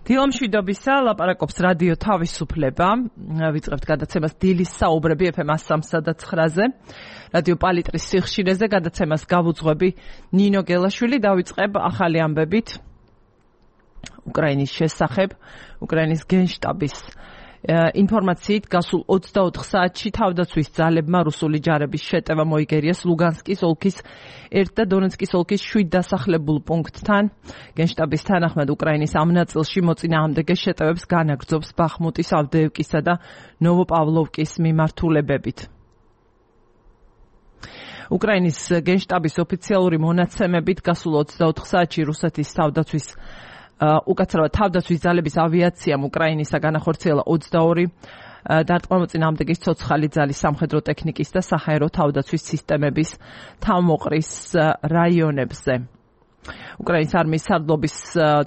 დილომშვიდობისა, ლაპარაკობს რადიო თავისუფლება. ვიწყებთ გადაცემას დილის საუბრები FM 103-ზე. რადიო პალიტრის სიხშირეზე გადაცემას გავუძღვები ნინო გელაშვილი. დავიწყებ ახალი ამბებით უკრაინის შესახებ, უკრაინის გენშტაბის ინფორმაციით გასულ 24 საათში თავდაცვის ძალებმა რუსული ჯარების შეტევა მოიგერიეს ლუგანსკის ოლქის 1 და დონეცკის ოლქის 7 დასახლებულ პუნქტთან. გენშტაბის თანახმად უკრაინის ამ ნაწილში მოწინააღმდეგე შეტევებს განაგრძობს ბახმუტის, ავდეევკისა და ნოვოპავლოვკის მიმართულებებით. უკრაინის გენშტაბის ოფიციალური მონაცემებით გასულ 24 საათში რუსეთის უკაცრავად თავდაცვის ძალების ავიაციამ უკრაინისა განახორციელა 22 დარტყმა-მოწინააღმდეგის ცოცხალი ძალის სამხედრო ტექნიკის და საჰაერო თავდაცვის სისტემების თავმოყრის რაიონებზე. უკრაინის არმიის სარდლობის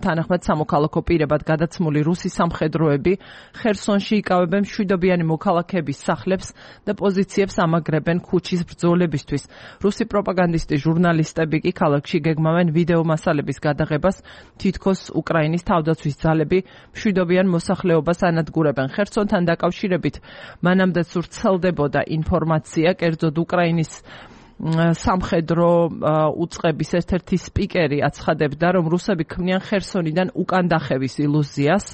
თანახმად სამოქალაქო პირებად გადაცმული რუსი სამხედროები ხერსონში იკავებენ მშვიდობიანი მოქალაქეების სახლებს და პოზიციებს ამაგრებენ ქუჩის ბრძოლებისთვის. რუსი პროპაგანდისტი ჟურნალისტები კი ქალაქში გეგმავენ ვიდეო მასალების გადაღებას, თითქოს უკრაინის თავდაცვის ძალები მშვიდობიან მოსახლეობას ანადგურებენ. ხერსონთან დაკავშირებით მანამდეც ვრცელდებოდა ინფორმაცია, კერძოდ უკრაინის სამხედრო უწყების ერთ-ერთი სპიკერი აცხადებდა, რომ რუსები ქმნიან ხერსონიდან უკან დახევის ილუზიას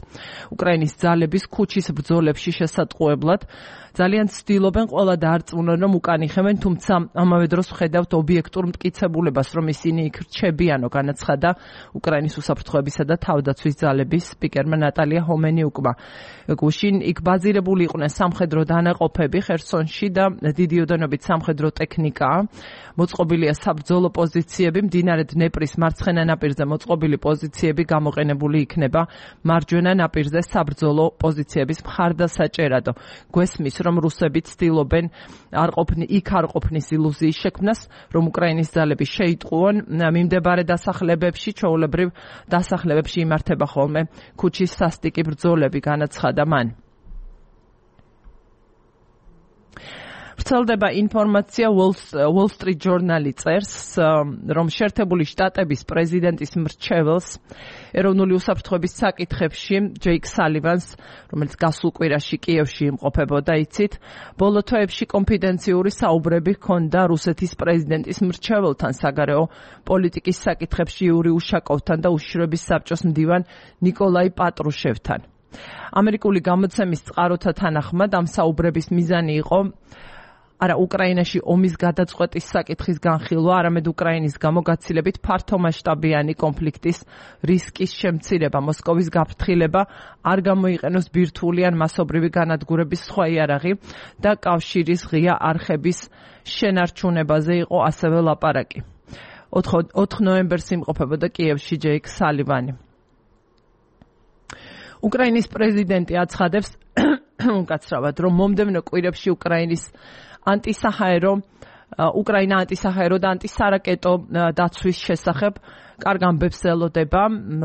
უკრაინის ძალების ქუჩის ბრძოლებში შესატყუებლად. ძალიან ცდილობენ ყველა დაარწმუნონ, რომ უკან იხევენ, თუმცა ამავე დროს ვხედავთ ობიექტურ მტკიცებულებას, რომ ისინი იქ რჩებიანო, განაცხადა უკრაინის უსაფრთხოებისა და თავდაცვის ძალების სპიკერმა ნატალია ჰომენიუკმა. გუშინ იქ ბაზირებული იყვნენ სამხედრო დანაყოფები ხერსონში და დიდი ოდენობით სამხედრო ტექნიკაა. მოწყობილია საბრძოლო პოზიციები, მდინარე დნეპრის მარცხენა ნაპირზე მოწყობილი პოზიციები გამოყენებული იქნება მარჯვენა ნაპირზე საბრძოლო პოზიციების მხარდასაჭერად. გვესმის, რომ რუსები ცდილობენ არ ყოფნის ილუზიის შექმნას, რომ უკრაინის ძალები შეიტყუონ მიმდებარე დასახლებებში, ჩვეულებრივ დასახლებებში იმართება ხოლმე ქუჩის სასტიკი ბრძოლები, განაცხადა მან. ვრცელდება ინფორმაცია, Wall Street Journal-ი წერს, რომ შეერთებული შტატების პრეზიდენტის მრჩეველს ეროვნული უსაფრთხოების საკითხებში ჯეიკ სალივანს, რომელიც გასულ კვირაში კიევში იმყოფებოდა, იცით, ბოლო თვეებში კონფიდენციური საუბრები ჰქონდა რუსეთის პრეზიდენტის მრჩეველთან, საგარეო პოლიტიკის საკითხებში იური უშაკოვთან და უშიშროების საბჭოს მდივან ნიკოლაი პატრუშევთან. ამერიკული გამოცემის წყაროთა თანახმად ამ საუბრების მიზანი იყო არა უკრაინაში ომის გადაწყვეტის საკითხის განხილვა, არამედ უკრაინის გამო გაცილებით ფართომასშტაბიანი კონფლიქტის რისკის შემცირება, მოსკოვის გაფრთხილება, არ გამოიყენოს ბირთვული ან მასობრივი განადგურების სხვა იარაღი და კავშირის ღია არხების შენარჩუნებაზე იყო ასევე ლაპარაკი. 4 ნოემბერს იმყოფებოდა კიევში ჯეიკ სალივანი. უკრაინის პრეზიდენტი აცხადებს უკაცრავად, რომ მომდევნო კვირებში უკრაინა ანტისაჰაერო და ანტისარაკეტო დაცვის შესახებ კარგ ამბებს ელოდება.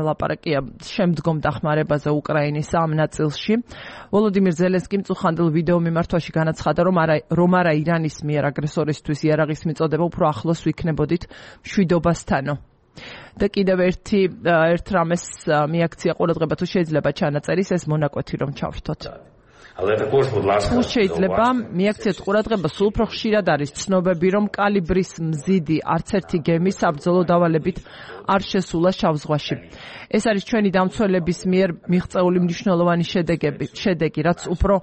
ლაპარაკია შემდგომ დახმარებაზე უკრაინის ამ ნაწილში. ვოლოდიმირ ზელენსკიმ წუხანდელ ვიდეო მიმართვაში განაცხადა, რომ არა ირანის მიერ აგრესორისთვის იარაღის მიწოდება უფრო ახლოს ვიქნებოდით მშვიდობასთანო. და კიდევ ერთ რამეს მიაქცია ყურადღება, თუ შეიძლება ჩანაწერის ეს მონაკვეთი რომ ჩავრთოთ. თუ შეიძლება მიაქციეთ ყურადღება, სულ უფრო ხშირად არის ცნობები, რომ კალიბრის მზიდი არც ერთი გემი საბრძოლო დავალებით არ შესულა შავ ზღვაში. ეს არის ჩვენი დამცველების მიერ მიღწეული მნიშვნელოვანი შედეგი, რაც უფრო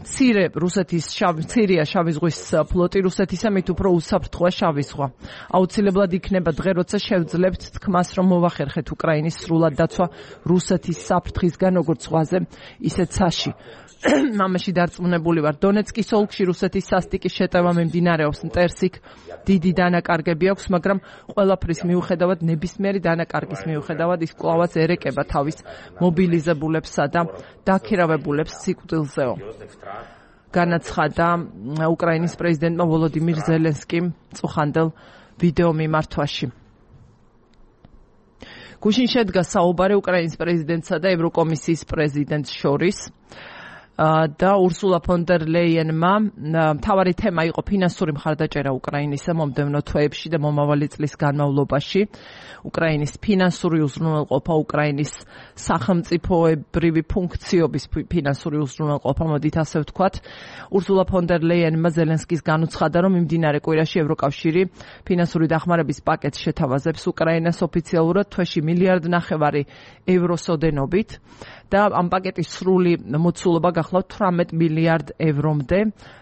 მცირე მცირეა შავი ზღვის ფლოტი რუსეთისა, მით უფრო უსაფრთხოა შავი ზღვა. აუცილებლად იქნება დღე, როცა შევძლებთ თქმას, რომ მოვახერხეთ უკრაინის სრულად დაცვა რუსეთის საფრთხისგან, როგორც ზღვაზე, ისე ცაში. მამაში დარწმუნებული ვარ, დონეცკის ოლქში რუსეთის სასტიკის შეტევა მიმდინარეობს, მტერს იქ დიდი დანაკარგები აქვს, მაგრამ ყველაფრის მიუხედავად, ნებისმიერი დანაკარგის მიუხედავად, ის კვლავაც ერეკება თავის მობილიზებულებსა და დაქირავებულებს სიკვდილზეო. განაცხადა უკრაინის პრეზიდენტმა ვოლოდიმირ ზელენსკიმ წუხანდელ ვიდეო მიმართვაში. გუშინ შედგა საუბარი უკრაინის პრეზიდენტსა და ევროკომისიის პრეზიდენტს შორის. და ურსულა ფონ დერ ლეიენმა მთავარი თემა იყო ფინანსური მხარდაჭერა უკრაინისა მომდევნო თვეებში და მომავალი წლის განმავლობაში. უკრაინის ფინანსური უზრუნველყოფა, უკრაინის სახელმწიფოებრივი ფუნქციების ფინანსური უზრუნველყოფა, მოდით ასე ვთქვათ. ურსულა ფონ დერ ლეიენმა ზელენსკის განუცხადა, რომ მიმდინარე კვირაში ევროკავშირი ფინანსური დახმარების პაკეტს შეთავაზებს უკრაინას ოფიციალურად თვეში 1.5 მილიარდ ევროს ოდენობით და ამ პაკეტის სრული მოცულობა გახლავთ 18 მილიარდ ევრომდე,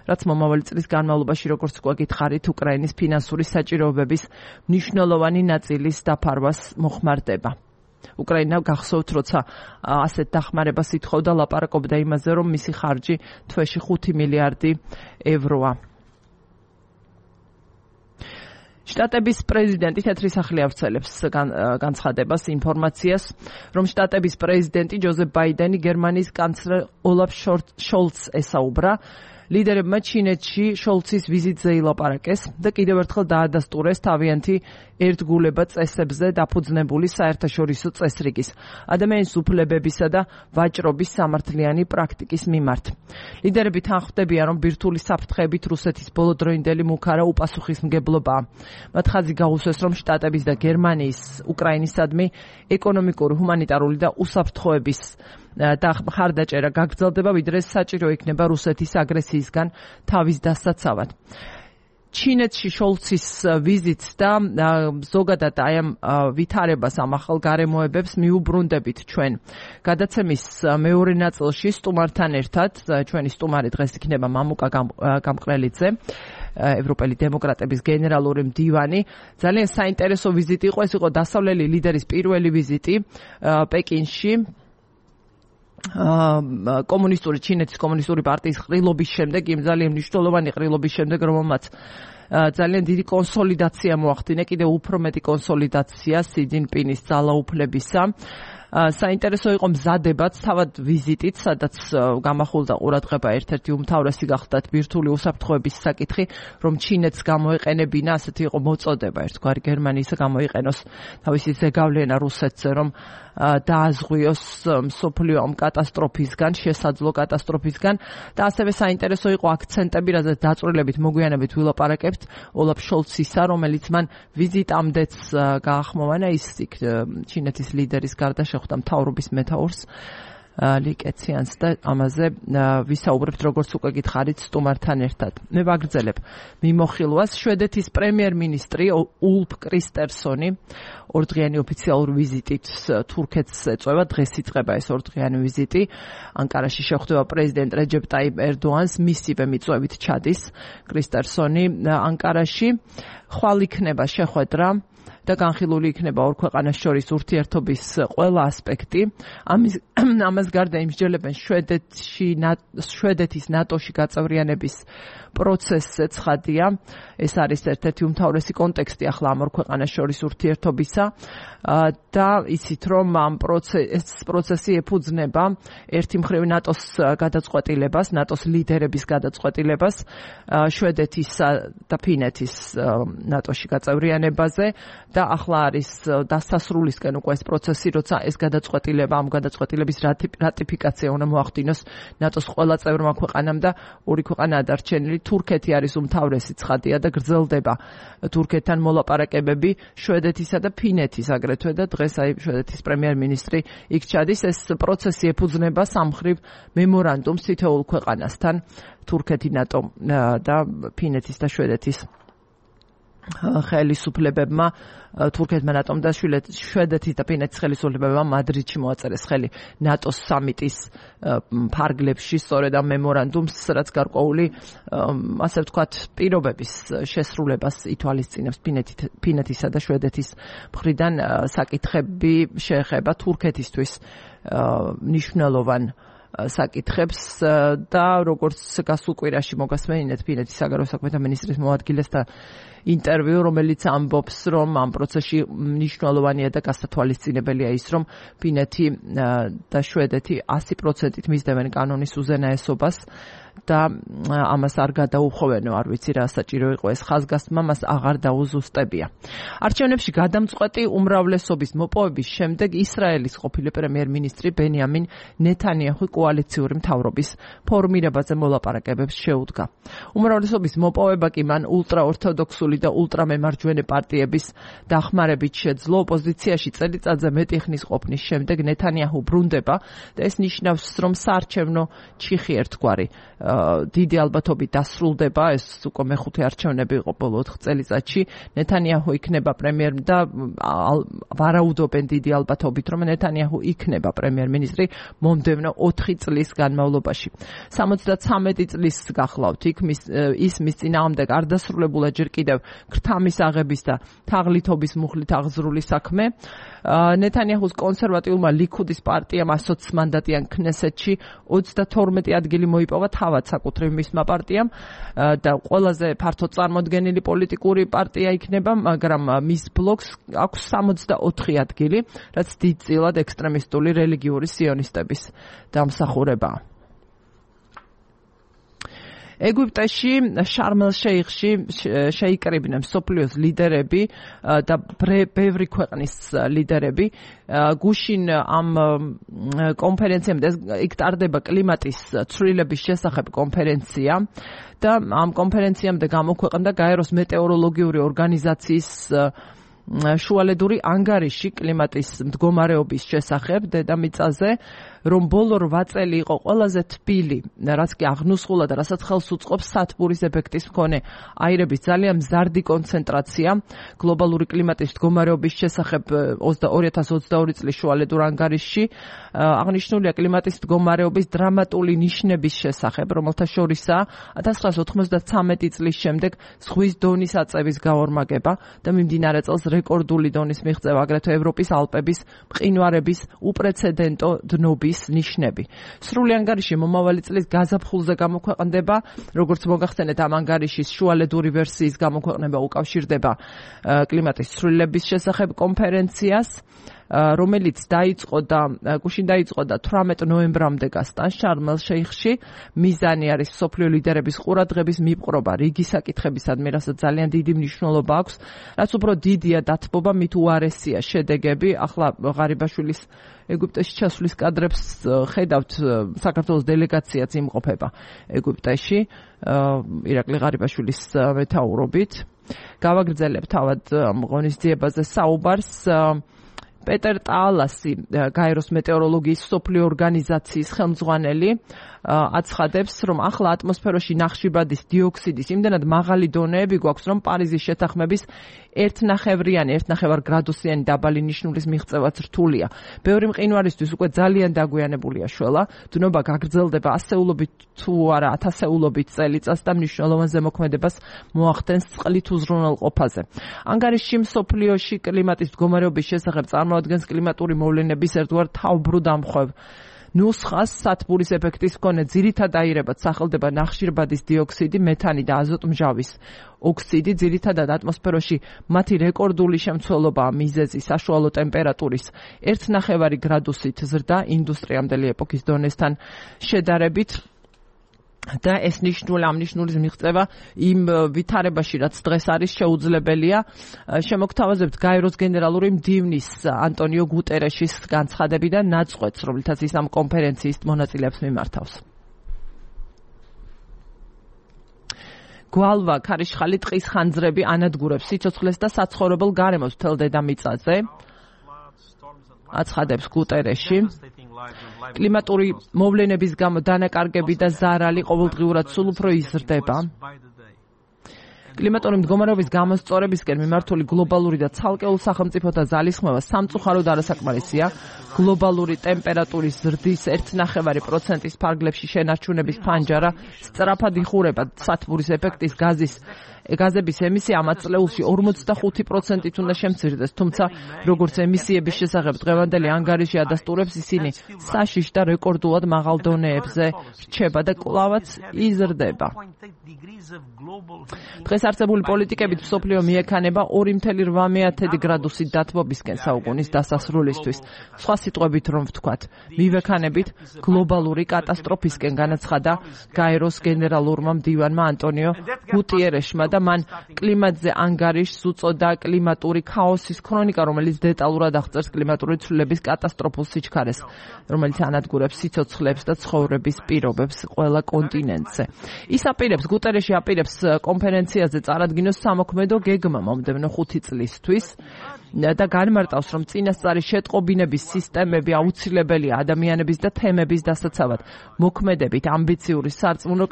რაც მომავალი წლის განმავლობაში, როგორც გვაგითხარით, უკრაინის ფინანსური საჭიროებების მნიშვნელოვანი ნაწილის დაფარვას მოხმარდება. უკრაინა გახსოვთ, როცა ასეთ დახმარებას ითხოვდა, ლაპარაკობდა იმაზე, რომ მისი ხარჯი თვეში 5 მილიარდი ევროა. შტატების პრეზიდენტი თეთრი სახლი ავრცელებს განცხადებას, ინფორმაციას, რომ შტატების პრეზიდენტი ჯოზეფ ბაიდენი გერმანიის კანცლერ ოლაფ შოლცს ესაუბრა. ლიდერებმა ჩინეთში შოლცის ვიზიტზე ილაპარაკეს და კიდევ ერთხელ დაადასტურეს თავიანთი ერთგულება წესებზე დაფუძნებული საერთაშორისო წესრიგის, ადამიანის უფლებებისა და ვაჭრობის სამართლიანი პრაქტიკის მიმართ. ლიდერები თანხმდებიან, რომ ბირთვული საფრთხეებით რუსეთის ბოლოდროინდელი მუქარა უპასუხისმგებლობაა. მათ ხაზი გაუსვეს, რომ შტატების და გერმანიის უკრაინისადმი ეკონომიკური, ჰუმანიტარული და უსაფრთხოების და მხარდაჭერა გაგრძელდება, ვიდრე საჭირო იქნება რუსეთის აგრესიისგან თავის დასაცავად. ჩინეთში შოლცის ვიზიტს და ზოგადად აი ამ ვითარებას, ამ ახალ გარემოებებს მიუბრუნდებით ჩვენ. გადაცემის მეორე ნაწილში სტუმართან ერთად, ჩვენი სტუმარი დღეს იქნება მამუკა გამყრელიძე, ევროპელი დემოკრატების გენერალური მდივანი. ძალიან საინტერესო ვიზიტი იყო, ეს იყო დასავლელი ლიდერის პირველი ვიზიტი პეკინში. ჩინეთის კომუნისტური პარტიის ყრილობის შემდეგ, იმ ძალიან მნიშვნელოვანი ყრილობის შემდეგ, რომელმაც ძალიან დიდი კონსოლიდაცია მოახდინა, კიდევ უფრო მეტი კონსოლიდაცია სი ძინპინის ძალაუფლებისა. საინტერესო იყო მზადებაც, თავად ვიზიტით, სადაც გამახულდა ყურადღება ერთ-ერთი უმთავრესი გახლდათ ბირთვული უსაფრთხოების საკითხი, რომ ჩინეთს გამოეყენებინა, ასეთი იყო მოწოდება, ერთგვარი გერმანიისა გამოიყენოს თავისი ზეგავლენა რუსეთზე, რომ დააზღვიოს მსოფლიო ამ კატასტროფისგან, შესაძლო კატასტროფისგან და ასევე საინტერესო იყო აქცენტები, რადგან დაწვრილებით მოგვიანებით ვილაპარაკებთ ოლაფ შოლცისა, რომელიც მან ვიზიტამდეც გაახმოვანა, ის ჩინეთის ლიდერის გარდა შეხვდა მთავრობის მეთაურს ლიკეციანს და ამაზე ვისაუბრებთ, როგორც უკვე გითხარით, სტუმართან ერთად. მე ვაგრძელებ მიმოხილვას. შვედეთის პრემიერ-მინისტრი ულფ კრისტერსონი ორდღიანი ოფიციალური ვიზიტით თურქეთს ეწევა. დღეს იწყება ეს ორდღიანი ვიზიტი. ანკარაში შეხვდება პრეზიდენტ რეჯეპ ტაიპ ერდოანს, მისივე მიწვევით ჩადის კრისტერსონი ანკარაში. ხვალ იქნება შეხვედრა და განხილული იქნება ორ ქვეყანას შორის ურთიერთობის ყველა ასპექტი. ამას გარდა იმსჯელებენ შვედეთის ნატოში გაწევრიანების პროცესზე ცხადია. ეს არის ერთ-ერთი უმთავრესი კონტექსტი ახლა ამ ორ ქვეყანას შორის ურთიერთობისა და იცით, რომ ამ პროცესი ეფუძნება ერთი მხრივ ნატოს გადაწყვეტილებას, ნატოს ლიდერების გადაწყვეტილებას შვედეთისა და ფინეთის ნატოში გაწევრიანებაზე და ახლა არის დასასრულისკენ უკვე ეს პროცესი, როცა ეს გადაწყვეტილება, ამ გადაწყვეტილების რატიფიკაცია უნდა მოახდინოს ნატოს ყველა წევრმა ქვეყანამ და ორი ქვეყანაა დარჩენილი. თურქეთი არის უმთავრესი, ცხადია და გრძელდება თურქეთთან მოლაპარაკებები შვედეთისა და ფინეთის აგრეთვე და დღეს აი შვედეთის პრემიერ-მინისტრი იქ ჩადის. ეს პროცესი ეფუძნება სამხრივ მემორანდუმს თითოეულ ქვეყანასთან, თურქეთი, ნატო და ფინეთის და შვედეთის ხელისუფლებებმა, თურქეთმა, ნატომ და შვედეთის და ფინეთის ხელისუფლებებმა მადრიდში მოაწერეს ხელი ნატოს სამიტის ფარგლებში, სწორედ ამ მემორანდუმს, რაც გარკვეული, ასე ვთქვათ, პირობების შესრულებას ითვალისწინებს ფინეთისა და შვედეთის მხრიდან. საკითხები შეეხება თურქეთისთვის მნიშვნელოვან საკითხებს და როგორც გასულ კვირაში მოგასმენინეთ ფინეთის საგარეო საქმეთა მინისტრის მოადგილესთან ინტერვიუ, რომელიც ამბობს, რომ ამ პროცესში მნიშვნელოვანია და გასათვალისწინებელია ის, რომ ფინეთი და შვედეთი 100%-ით მისდევენ კანონის უზენაესობას და ამას არ გადაუხოვენო, არ ვიცი რა საჭირო იყო ეს ხაზგასმა, მას აღარ დაუზუსტებია. არჩევნებში გადამწყვეტი უმრავლესობის მოპოვების შემდეგ ისრაელის ყოფილი პრემიერ-მინისტრი ბენიამინ ნეთანიაჰუ კოალიციური მთავრობის ფორმირებაზე მოლაპარაკებებს შეუდგა. უმრავლესობის მოპოვება კი მან ულტრაორთოდოქსული და ულტრამემარჯვენე პარტიების დახმარებით შეძლო. ოპოზიციაში წელიწადზე მეტი ხნის ყოფნის შემდეგ ნეთანიაჰუ ბრუნდება და ეს ნიშნავს, რომ საარჩევნო ჩიხი ერთგვარი დიდი ალბათობით დასრულდება. ეს უკვე მეხუთე არჩევნები იყო ბოლო 4 წელიწადში. ნეთანიაჰუ იქნება პრემიერ და ვარაუდობენ დიდი ალბათობით, რომ ნეთანიაჰუ იქნება პრემიერ-მინისტრი მომდევნო 4 წლის განმავლობაში. 73 წლის გახლავთ იქ ის მის წინააღმდეგ არ დასრულებულა ჯერ კიდევ ქრთამის აღების და თაღლითობის მუხლით აღზრული საქმე. ნეთანიაჰუს კონსერვატიულმა ლიქუდის პარტიამ 120 მანდატიან ქნესეთში 32 ადგილი მოიპოვა თავად საკუთრივ მისმა პარტიამ და ყველაზე ფართო წარმოდგენილი პოლიტიკური პარტია იქნება, მაგრამ მის ბლოკს აქვს 64 ადგილი, რაც დიდწილად ექსტრემისტული რელიგიური სიონისტების დამსახურებაა. ეგვიპტეში შარმ-ელ-შეიხში შეიკრიბნენ მსოფლიოს ლიდერები და ბევრი ქვეყნის ლიდერები. გუშინ ამ კონფერენციამდე იქ ტარდება კლიმატის ცვლილების შესახებ კონფერენცია და ამ კონფერენციამდე გამოქვეყნდა გაეროს მეტეოროლოგიური ორგანიზაციის შუალედური ანგარიში კლიმატის მდგომარეობის შესახებ დედამიწაზე, რომ ბოლო 8 წელი იყო ყველაზე თბილი, რაც კი აღნუსხულა და რასაც ხელს უწყობს სათბურის ეფექტის მქონე აირების ძალიან მზარდი კონცენტრაცია. გლობალური კლიმატის მდგომარეობის შესახებ 2022 წლის შუალედურ ანგარიშში აღნიშნულია კლიმატის მდგომარეობის დრამატული ნიშნების შესახებ, რომელთა შორისაა 1993 წლის შემდეგ ზღვის დონის აწევის გაორმაგება და მიმდინარე წელს რეკორდული დონის მიღწევა, აგრეთვე ევროპის ალპების მყინვარების უპრეცედენტო დნობის ნიშნები. სრული ანგარიში მომავალი წლის გაზაფხულზე გამოქვეყნდება, როგორც მოგახსენეთ, ამ ანგარიშის შუალედური ვერსიის გამოქვეყნება უკავშირდება კლიმატის ცვლილების შესახებ კონფერენციას, რომელიც გუშინ დაიწყო და 18 ნოემბრამდე გასტან შარმ-ელ-შეიხში. მიზანი არის მსოფლიო ლიდერების ყურადღების მიპყრობა რიგი საკითხებისადმი, რასაც ძალიან დიდი მნიშვნელობა აქვს. რაც უფრო დიდია დათბობა, მით უარესია შედეგები. ახლა ღარიბაშვილის ეგვიპტეში ჩასვლის კადრებს ხედავთ, საქართველოს დელეგაციაც იმყოფება ეგვიპტეში ირაკლი ღარიბაშვილის მეთაურობით. გავაგრძელებ თავად ღონისძიებაზე საუბარს. პეტერ ტაალასი, გაეროს მეტეოროლოგიის მსოფლიო ორგანიზაციის ხელმძღვანელი, აცხადებს, რომ ახლა ატმოსფეროში ნახშირბადის დიოქსიდის იმდენად მაღალი დონეები გვაქვს, რომ პარიზის შეთანხმების 1,5 გრადუსიანი დაბალი ნიშნულის მიღწევაც რთულია. ბევრი მყინვარისთვის უკვე ძალიან დაგვიანებულია შველა, დნობა გაგრძელდება ასეულობით თუ არა ათასეულობით წელიწადს და მნიშვნელოვან ზემოქმედებას მოახდენს წყლით უზრუნველყოფაზე. ანგარიში მსოფლიოში კლიმატის მდგომარეობის შესახებ წარმოადგენს კლიმატური მოვლენების ერთგვარ თავბრუ დამხვევ ნუსხას. სათბურის ეფექტის მქონე ძირითად აირებად სახელდება ნახშირბადის დიოქსიდი, მეთანი და აზოტმჟავის ოქსიდი. ძირითადად ატმოსფეროში მათი რეკორდული შემცველობაა მიზეზი საშუალო ტემპერატურის 1,5 გრადუსით ზრდა ინდუსტრიამდელი ეპოქის დონესთან შედარებით. და ეს ამ ნიშნულის მიღწევა იმ ვითარებაში, რაც დღეს არის შეუძლებელია. შემოგთავაზებთ გაეროს გენერალური მდივნის ანტონიო გუტერეშის განცხადებიდან ნაწყვეტს, რომელთაც ის ამ კონფერენციის მონაწილეებს მიმართავს. გვალვა, ქარიშხალი, ტყის ხანძრები ანადგურებს სიცოცხლეს და საცხოვრებელ გარემოს მთელ დედამიწაზე, აცხადებს გუტერეში. კლიმატური მოვლენების გამო დანაკარგები და ზარალი ყოველდღიურად სულ უფრო იზრდება. კლიმატური მდგომარეობის გამოსწორებისკენ მიმართული გლობალური და ცალკეულ სახელმწიფოთა ძალისხმევა სამწუხაროდ არასაკმარისია. გლობალური ტემპერატურის ზრდის 1,5%-ის ფარგლებში შენარჩუნების ფანჯარა სწრაფად იხურება. სათბურის ეფექტის გაზების ემისია ამ წლეულში 45%-ით უნდა შემცირდეს, თუმცა როგორც ემისიების შესახებ დღევანდელი ანგარიში ადასტურებს, ისინი საშიშ და რეკორდულად მაღალ დონეებზე რჩება და კვლავაც იზრდება. დღეს არსებული პოლიტიკებით მსოფლიო მიექანება 2.8 გრადუსით დათბობისკენ საუკუნის დასასრულისთვის. სხვა სიტყვებით რომ ვთქვათ, მივექანებით გლობალური კატასტროფისკენ, განაცხადა გაეროს გენერალურმა მდივანმა ანტონიო გუტიერეშმა და მან კლიმატზე ანგარიშს უწოდა კლიმატური ქაოსის ქრონიკა, რომელიც დეტალურად აღწერს კლიმატური ცვლილების კატასტროფულ სიჩქარეს, რომელიც ანადგურებს სიცოცხლებს და ცხოვრების პირობებს ყველა კონტინენტზე. ის აპირებს, გუტიერეში აპირებს კონფერენციაზე წარადგინოს სამოქმედო გეგმა მომდევნო 5 წლისთვის და განმარტავს, რომ წინასწარი შეტყობინების სისტემები აუცილებელია ადამიანების და თემების დასაცავად. მოქმედებით, ამბიციური, სარწმუნო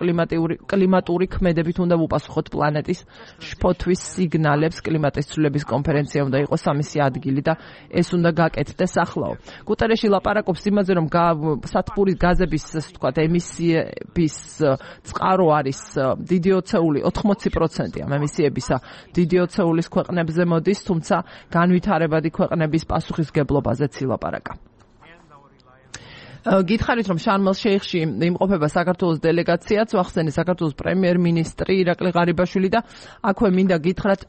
კლიმატური ქმედებით უნდა უპასუხოთ პლანეტის შფოთვის სიგნალებს. კლიმატის ცვლილების კონფერენცია უნდა იყოს სამისი ადგილი და ეს უნდა გაკეთდეს ახლაო. გუტიერეში ლაპარაკობს იმაზე, რომ სათბურის გაზების, ასე ვთქვათ, ემისიების წყარო არის დიდი ოცეული 80% ამ ემისიებისა დიდი ოცეულის ქვეყნებზე მოდის, თუმცა განვითარებადი ქვეყნების პასუხისგებლობაზეც ილაპარაკა. გითხარით, რომ შარმელ-შეიხში იმყოფება საქართველოს დელეგაციაც, ვახსენე საქართველოს პრემიერ-მინისტრი ირაკლი ღარიბაშვილი და აქვე მინდა გითხრათ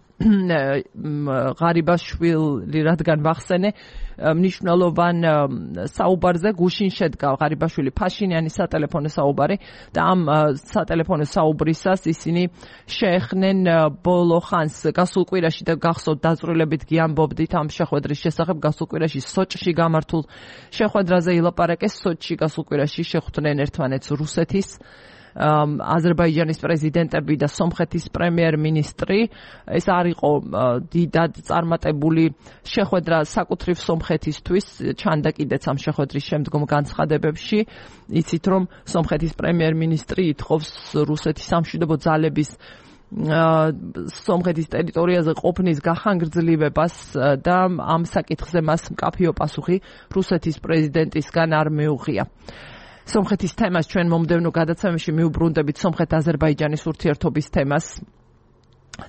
ღარიბაშვილი, რადგან ვახსენე მნიშვნელოვან საუბარზე გუშინ შედგა ღარიბაშვილი ფაშინიანის სატელეფონო საუბარი და ამ სატელეფონო საუბრისას ისინი შეეხნენ ბოლო ხანს გასულ კვირაში და გახსოვთ დაწვრილებით გიამბობდით ამ შეხვედრის შესახებ. გასულ კვირაში სოჭში გამართულ შეხვედრაზე ილაპარაკეს. სოჭში გასულ კვირაში შეხვდნენ ერთმანეთს რუსეთის, აზერბაიჯანის პრეზიდენტები და სომხეთის პრემიერ-მინისტრი. ეს არ იყო დიდად წარმატებული შეხვედრა საკუთრივ სომხეთისთვის, ჩანდა კიდეც ამ შეხვედრის შემდგომ განცხადებებში. იცით, რომ სომხეთის პრემიერ-მინისტრი ითხოვს რუსეთის სამშვიდობო ძალების სომხეთის ტერიტორიაზე ყოფნის გახანგრძლივებას და ამ საკითხზე მას მკაფიო პასუხი რუსეთის პრეზიდენტისგან არ მიუღია. სომხეთის თემას ჩვენ მომდევნო გადაცემაში მიუბრუნდებით სომხეთ-აზერბაიჯანის ურთიერთობის თემას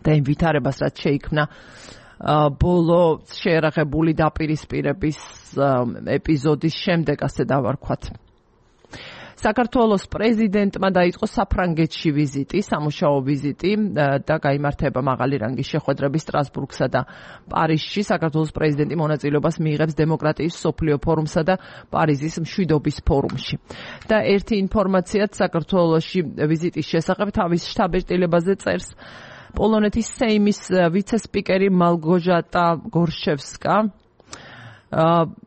და იმ ვითარებას, რაც შეიქმნა ბოლო შეერაღებული დაპირისპირების ეპიზოდის შემდეგ, ასე დავარქვათ. საქართველოს პრეზიდენტმა დაიწყო საფრანგეთში ვიზიტი, სამუშაო ვიზიტი და გაიმართება მაღალი რანგის შეხვედრები სტრასბურგსა და პარიზში. საქართველოს პრეზიდენტი მონაწილეობას მიიღებს დემოკრატიის მსოფლიო ფორუმსა და პარიზის მშვიდობის ფორუმში. და ერთი ინფორმაციაც საქართველოში ვიზიტის შესახებ თავის შტაბ-ეტილებაზე წერს პოლონეთის სეიმის ვიცე-სპიკერი მალგოჟატა გორშევსკა.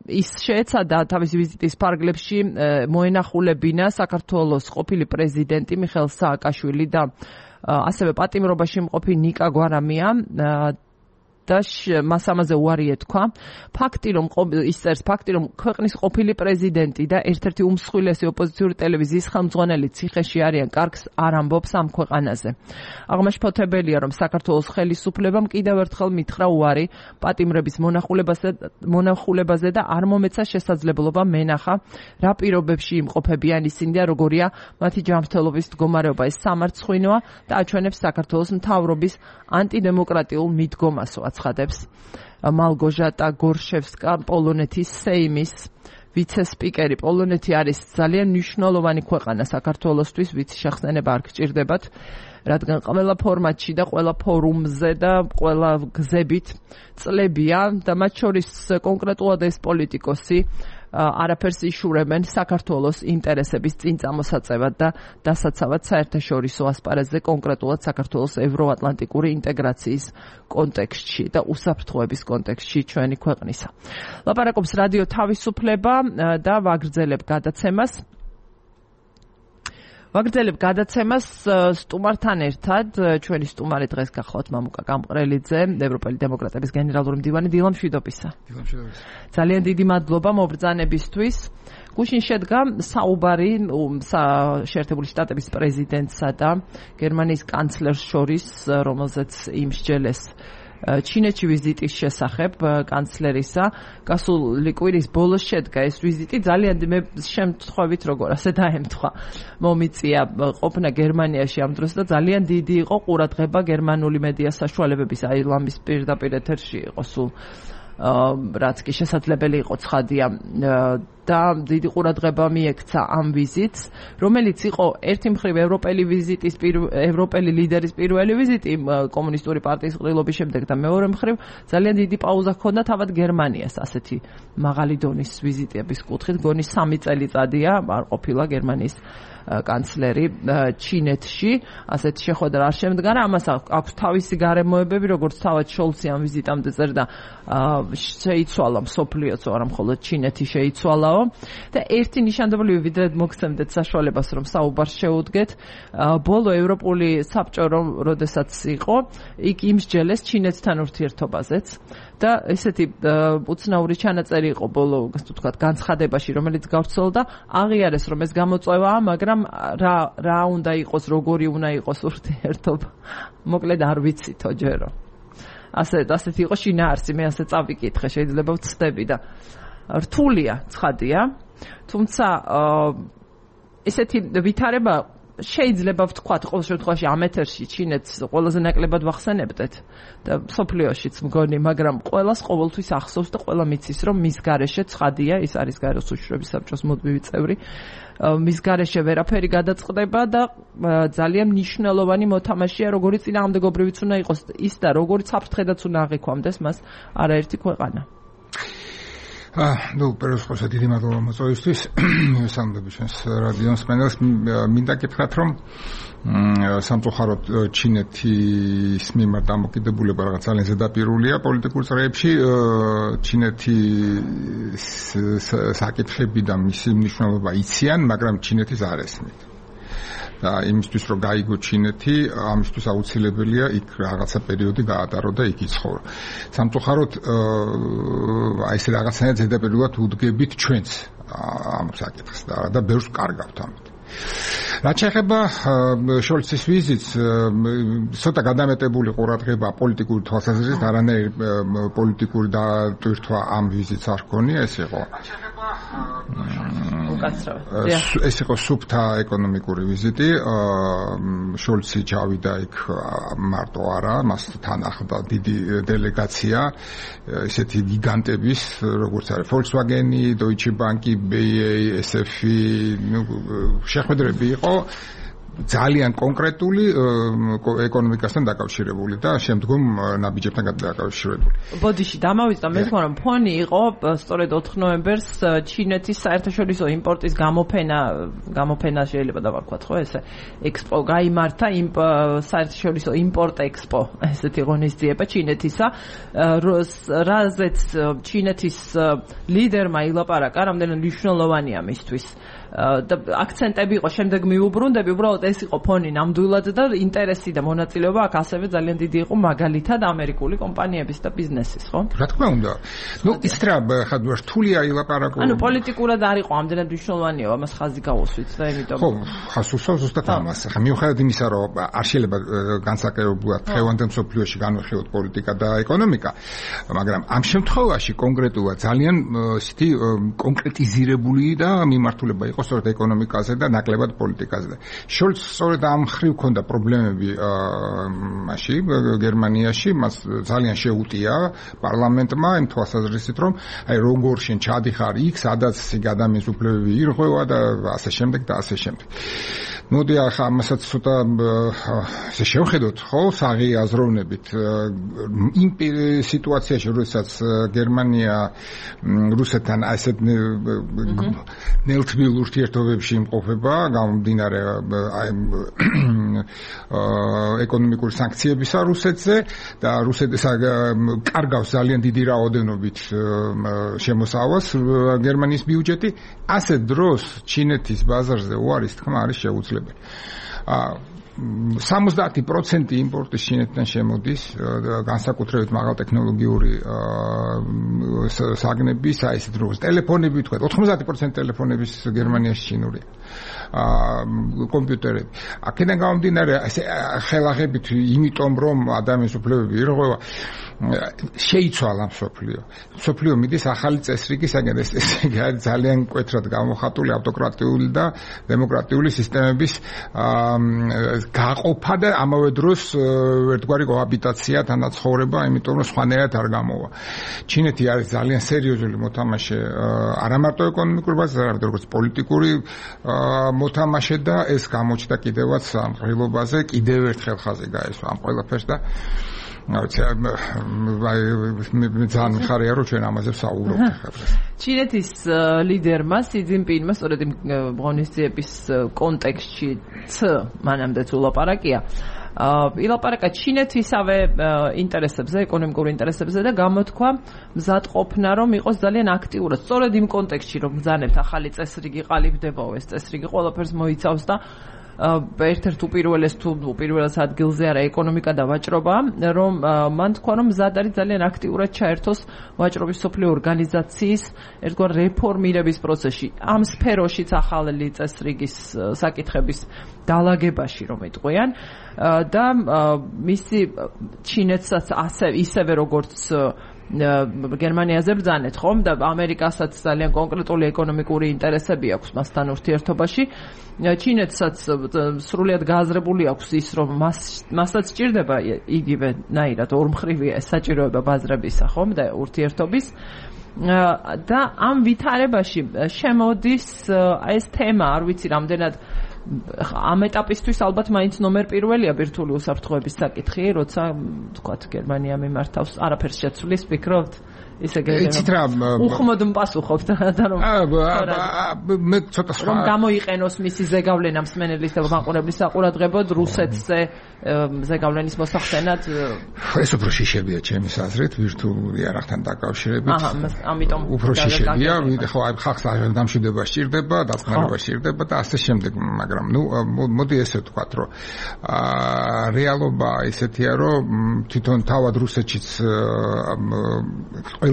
ის შეეცადა თავის ვიზიტის ფარგლებში მოენახულებინა საქართველოს ყოფილი პრეზიდენტი მიხეილ სააკაშვილი და ასევე პატიმრობაში მყოფი ნიკა გვარამია და მას ამაზე უარი ეთქვა. ფაქტი, რომ ქვეყნის ყოფილი პრეზიდენტი და ერთ-ერთი უმსხვილესი ოპოზიციური ტელევიზიის ხელმძღვანელი ციხეში არიან, კარგს არ ამბობს ამ ქვეყანაზე. აღმაშფოთებელია, რომ საქართველოს ხელისუფლებამ კიდევ ერთხელ მითხრა უარი პატიმრების მონახულებაზე და არ მომეცა შესაძლებლობა მენახა, რა პირობებში იმყოფებიან ისინი და როგორია მათი ჯანმრთელობის მდგომარეობა. ეს სამარცხვინოა და აჩვენებს საქართველოს მთავრობის ანტიდემოკრატიულ მიდგომასო. აცხადებს მალგოჟატა გორშევსკა, პოლონეთის სეიმის ვიცე-სპიკერი. პოლონეთი არის ძალიან მნიშვნელოვანი ქვეყანა საქართველოსთვის, ვიცი შეხსენება არ გჭირდებათ, რადგან ყველა ფორმატში და ყველა ფორუმზე და ყველა გზებით წლებია და მათ შორის კონკრეტულად ეს პოლიტიკოსი არაფერს იშურებენ საქართველოს ინტერესების წინ წამოსაწევად და დასაცავად საერთაშორისო ასპარეზზე, კონკრეტულად საქართველოს ევროატლანტიკური ინტეგრაციის კონტექსტში და უსაფრთხოების კონტექსტში ჩვენი ქვეყნისა. ლაპარაკობს რადიო თავისუფლება და ვაგრძელებ გადაცემას სტუმართან ერთად. ჩვენი სტუმარი დღეს გახლავთ მამუკა გამყრელიძე, ევროპელი დემოკრატების გენერალური მდივანი. დილა მშვიდობისა. ძალიან დიდი მადლობა მობრძანებისთვის. გუშინ შედგა საუბარი შეერთებული შტატების პრეზიდენტსა და გერმანიის კანცლერს შორის, რომელზეც იმსჯელეს ჩინეთში ვიზიტის შესახებ კანცლერისა. გასული კვირის ბოლოს შედგა ეს ვიზიტი. ძალიან მე შემთხვევით როგორ ასე დაემთხვა მომიწია ყოფნა გერმანიაში ამ დროს და ძალიან დიდი იყო ყურადღება გერმანული მედია საშუალებების, აი ლამის პირდაპირ ეთერში იყო სულ რაც კი შესაძლებელი იყო ცხადია და დიდი ყურადღება მიექცა ამ ვიზიტს, რომელიც იყო ერთი მხრივ ევროპელი ლიდერის პირველი ვიზიტი კომუნისტური პარტიის ყრილობის შემდეგ და მეორე მხრივ ძალიან დიდი პაუზა ჰქონდა თავად გერმანიას ასეთი მაღალი დონის ვიზიტების კუთხით. გონი 3 წელიწადია არ ყოფილა გერმანიის კანცლერი ჩინეთში, ასეთ შეხვედრა არ შემდგარა. ამას აქვს თავისი გარემოებები, როგორც თავად შოლცი ამ ვიზიტამდე წერდა, შეიცვალა მსოფლიოც, არა მხოლოდ ჩინეთი შეიცვალაო. და ერთი ნიშანდობლივი ვიდრე მოგცემდეთ საშუალებას, რომ საუბარს შეუდგეთ, ბოლო ევროპული საბჭო როდესაც იყო, იქ იმსჯელეს ჩინეთთან ურთიერთობაზეც და ესეთი უცნაური ჩანაწერი იყო ბოლო, ასე ვთქვათ, განცხადებაში, რომელიც გავრცელდა, აღიარეს, რომ ეს გამოწვევაა, მაგრამ რა უნდა იყოს, როგორი უნდა იყოს ურთიერთობა. მოკლედ არ ვიცითო ჯერო. ასეთი იყო შინაარსი, მე ასე წავიკითხე, შეიძლება ვცდები და რთულია, ცხადია. თუმცა ესეთი ვითარება შეიძლება ვთქვათ, ყოველ შემთხვევაში ამ ეთერში ჩინეთს ყველაზე ნაკლებად ვახსენებდეთ და სოფლიოშიც მგონი, მაგრამ ყველას ყოველთვის ახსოვს და ყველა მიცის, რომ მის გარეშე ცხადია, ის არის გაროს უშუქრების საბჭოს მუდმივი წევრი, მის გარეშე ვერაფერი გადაწყდება და ძალიან მნიშვნელოვანი მოთამაშეა, როგორი წინააღმდეგობრივიც უნდა იყოს ის და როგორი საფრთხედაც უნდა აღიქვამდეს მას არაერთი ქვეყანა. ნუ პეროსხოსა დიდი მადლობა მოწვევისთვის. მივესალმები ჩვენს რადიო მსმენელს. მინდა გითხრათ, რომ სამწუხაროდ ჩინეთის მიმართ დამოკიდებულება რაღაც ძალიან ზედაპირულია პოლიტიკურ წრეებში. ჩინეთის საკითხები და მისი მნიშვნელობა იციან, მაგრამ ჩინეთის არ ესმით. და იმისთვის რომ გაიგო ჩინეთი, ამისთვის აუცილებელია იქ რაღაცა პერიოდი გაატარო და იქ იცხოვრო. სამწუხაროდ აი ეს რაღაცნაირად ზედაპირულად უდგებით ჩვენც ამ საკითხს და ბევრს კარგავთ ამით. რაც შეეხება შოლცის ვიზიტს, ცოტა გადამეტებული ყურადღება პოლიტიკური თვალსაზრისით, არანაირი პოლიტიკური დატვირთვა ამ ვიზიტს არ ჰქონია, ეს იყო ეს იყო სუფთა ეკონომიკური ვიზიტი. შოლცი ჩავიდა იქ მარტო არა, მას თან ახლდა დიდი დელეგაცია, ესეთი გიგანტების, როგორც არის Volkswagen-ი, Deutsche Bank-ი, BAE, SF-ი, შეხვედრები იყო ძალიან კონკრეტული ეკონომიკასთან დაკავშირებული და შემდგომ ნაბიჯებთან დაკავშირებული. ბოდიში დამავიწყდა მე თქმა რომ ფონი იყო სწორედ 4 ნოემბერს ჩინეთის საერთაშორისო იმპორტის გამოფენა შეიძლება დავარქვათ ხო ესე ექსპო გაიმართა საერთაშორისო იმპორტ ექსპო ესეთი ღონისძიება ჩინეთისა რაზეც ჩინეთის ლიდერმა ილაპარაკა რამდენად მნიშვნელოვანია მისთვის და აქცენტები იყო შემდეგ მიუბრუნდები უბრალოდ ეს იყო ფონი ნამდვილად და ინტერესი და მონაწილეობა აქ ასევე ძალიან დიდი იყო მაგალითად ამერიკული კომპანიების და ბიზნესის ხო? რა თქმა უნდა. ნუ ის რა ხადვარ რთულია ილაპარაკო. ანუ პოლიტიკურად არ იყო ამდენად მნიშვნელოვანია ამას ხაზი გავუსვით და იმიტომ ხო, ხასუსავს ზუსტად ამას. ხა მიუხედავად იმისა რომ არ შეიძლება განსაკუთრებულად დღევანდელ მსოფლიოში განვიხილოთ პოლიტიკა და ეკონომიკა, მაგრამ ამ შემთხვევაში კონკრეტულად ძალიან ისეთი კონკრეტიზირებული და მიმართულება იყო სწორედ ეკონომიკაზე და ნაკლებად პოლიტიკაზე. შოლც სწორედ ამ ხრივ ქონდა პრობლემები მასში გერმანიაში, მას ძალიან შეუტია პარლამენტმა იმ თვალსაზრისით, რომ აი როგორ შენ ჩადიხარ იქ, სადაც ადამიანის უფლებები ირღვევა და ასე შემდეგ და ასე შემდეგ. მოდი ახლა ამასაც ცოტა ესე შევხედოთ, ხო, საღი აზროვნებით იმ სიტუაციაში, როდესაც გერმანია რუსეთთან ასეთ ნელთბილ ურთიერთობებში იმყოფება, გამომდინარე ეკონომიკური სანქციებისა რუსეთზე და რუსეთს კარგავს ძალიან დიდი რაოდენობით შემოსავალს გერმანიის ბიუჯეტი, ასეთ დროს ჩინეთის ბაზარზე უარის თქმა არის შეუძლებელი. 70% იმპორტის ჩინეთიდან შემოდის, განსაკუთრებით მაღალტექნოლოგიური საგნების, აი ესეთ როგორც ტელეფონები, თქვა 90% ტელეფონების გერმანიაში ჩინურია. კომპიუტერები. აქედან გამომდინარე, ესე ხელაღებით, იმიტომ რომ ადამიანის უფლებები ირღვევა, შეიცვალა მსოფლიო. მსოფლიო მიდის ახალი წესრიგისაგან, ეს ძალიან მკვეთრად გამოხატული ავტოკრატიული და დემოკრატიული სისტემების გაყოფა და ამავე დროს ერთგვარი კოაბიტაცია თანაცხოვრება, იმიტომ რომ სხვანაირად არ გამოვა. ჩინეთი არის ძალიან სერიოზული მოთამაშე არა მარტო ეკონომიკურ ბაზაზე, არამედ როგორც პოლიტიკური მოთამაშე და ეს გამოჩნდა კიდევაც ამ ყრილობაზე, კიდევ ერთხელ ხაზი გაესვა ამ ყველაფერს და ძალიან მიხარია რომ ჩვენ ამაზე ვსაუბრობთ ახლა. ჩინეთის ლიდერმა სი ძინპინმა სწორედ იმ ღონისძიების კონტექსტშიც მანამდეც ულაპარაკია. ილაპარაკა ჩინეთისავე ინტერესებზე, ეკონომიკურ ინტერესებზე და გამოთქვა მზადყოფნა რომ იყოს ძალიან აქტიურად. სწორედ იმ კონტექსტში რომ ბრძანებთ ახალი წესრიგი ყალიბდებაო, ეს წესრიგი ყველაფერს მოიცავს და ერთ-ერთ უპირველეს ადგილზე არა ეკონომიკა და ვაჭრობა, რომ მან თქვა რომ მზად არის ძალიან აქტიურად ჩაერთოს ვაჭრობის სოფლიო ორგანიზაციის ერთგვარ რეფორმირების პროცესში. ამ სფეროშიც ახალი წესრიგის საკითხების დალაგებაში რომ იტყვიან და მისი ჩინეთსაც ისევე როგორც გერმანიაზე ბრძანეთ ხომ და ამერიკასაც ძალიან კონკრეტული ეკონომიკური ინტერესები აქვს მასთან ურთიერთობაში. ჩინეთსაც სრულიად გააზრებული აქვს ის რომ მასაც სჭირდება იგივე ნაირად ორმხრივია საჭიროება ბაზრებისა ხომ და ურთიერთობის და ამ ვითარებაში შემოდის ეს თემა, არ ვიცი რამდენად ამ ეტაპისთვის ალბათ მაინც ნომერ პირველია ბირთვული უსაფრთხოების საკითხი, როცა თქვათ გერმანია მიმართავს არაფერს შეცვლის ფიქრობთ ისე უხმოდ მპასუხობთ და რომ მე ცოტა სხვა რომ გამოიყენოს მისი ზეგავლენა მსმენელის და მაყურებლის საყურადღებოდ რუსეთზე ზეგავლენის მოსახსენად ეს უფრო შიშებია ჩემის აზრით ვირტუალური არახთან დაკავშირებით ამიტომ უფრო შიშებია ხო აი ხალხს დამშვიდება სჭირდება დაწყნარება სჭირდება და ასე შემდეგ მაგრამ ნუ მოდი ესე ვთქვათ რომ რეალობა ისეთია რომ თვითონ თავად რუსეთშიც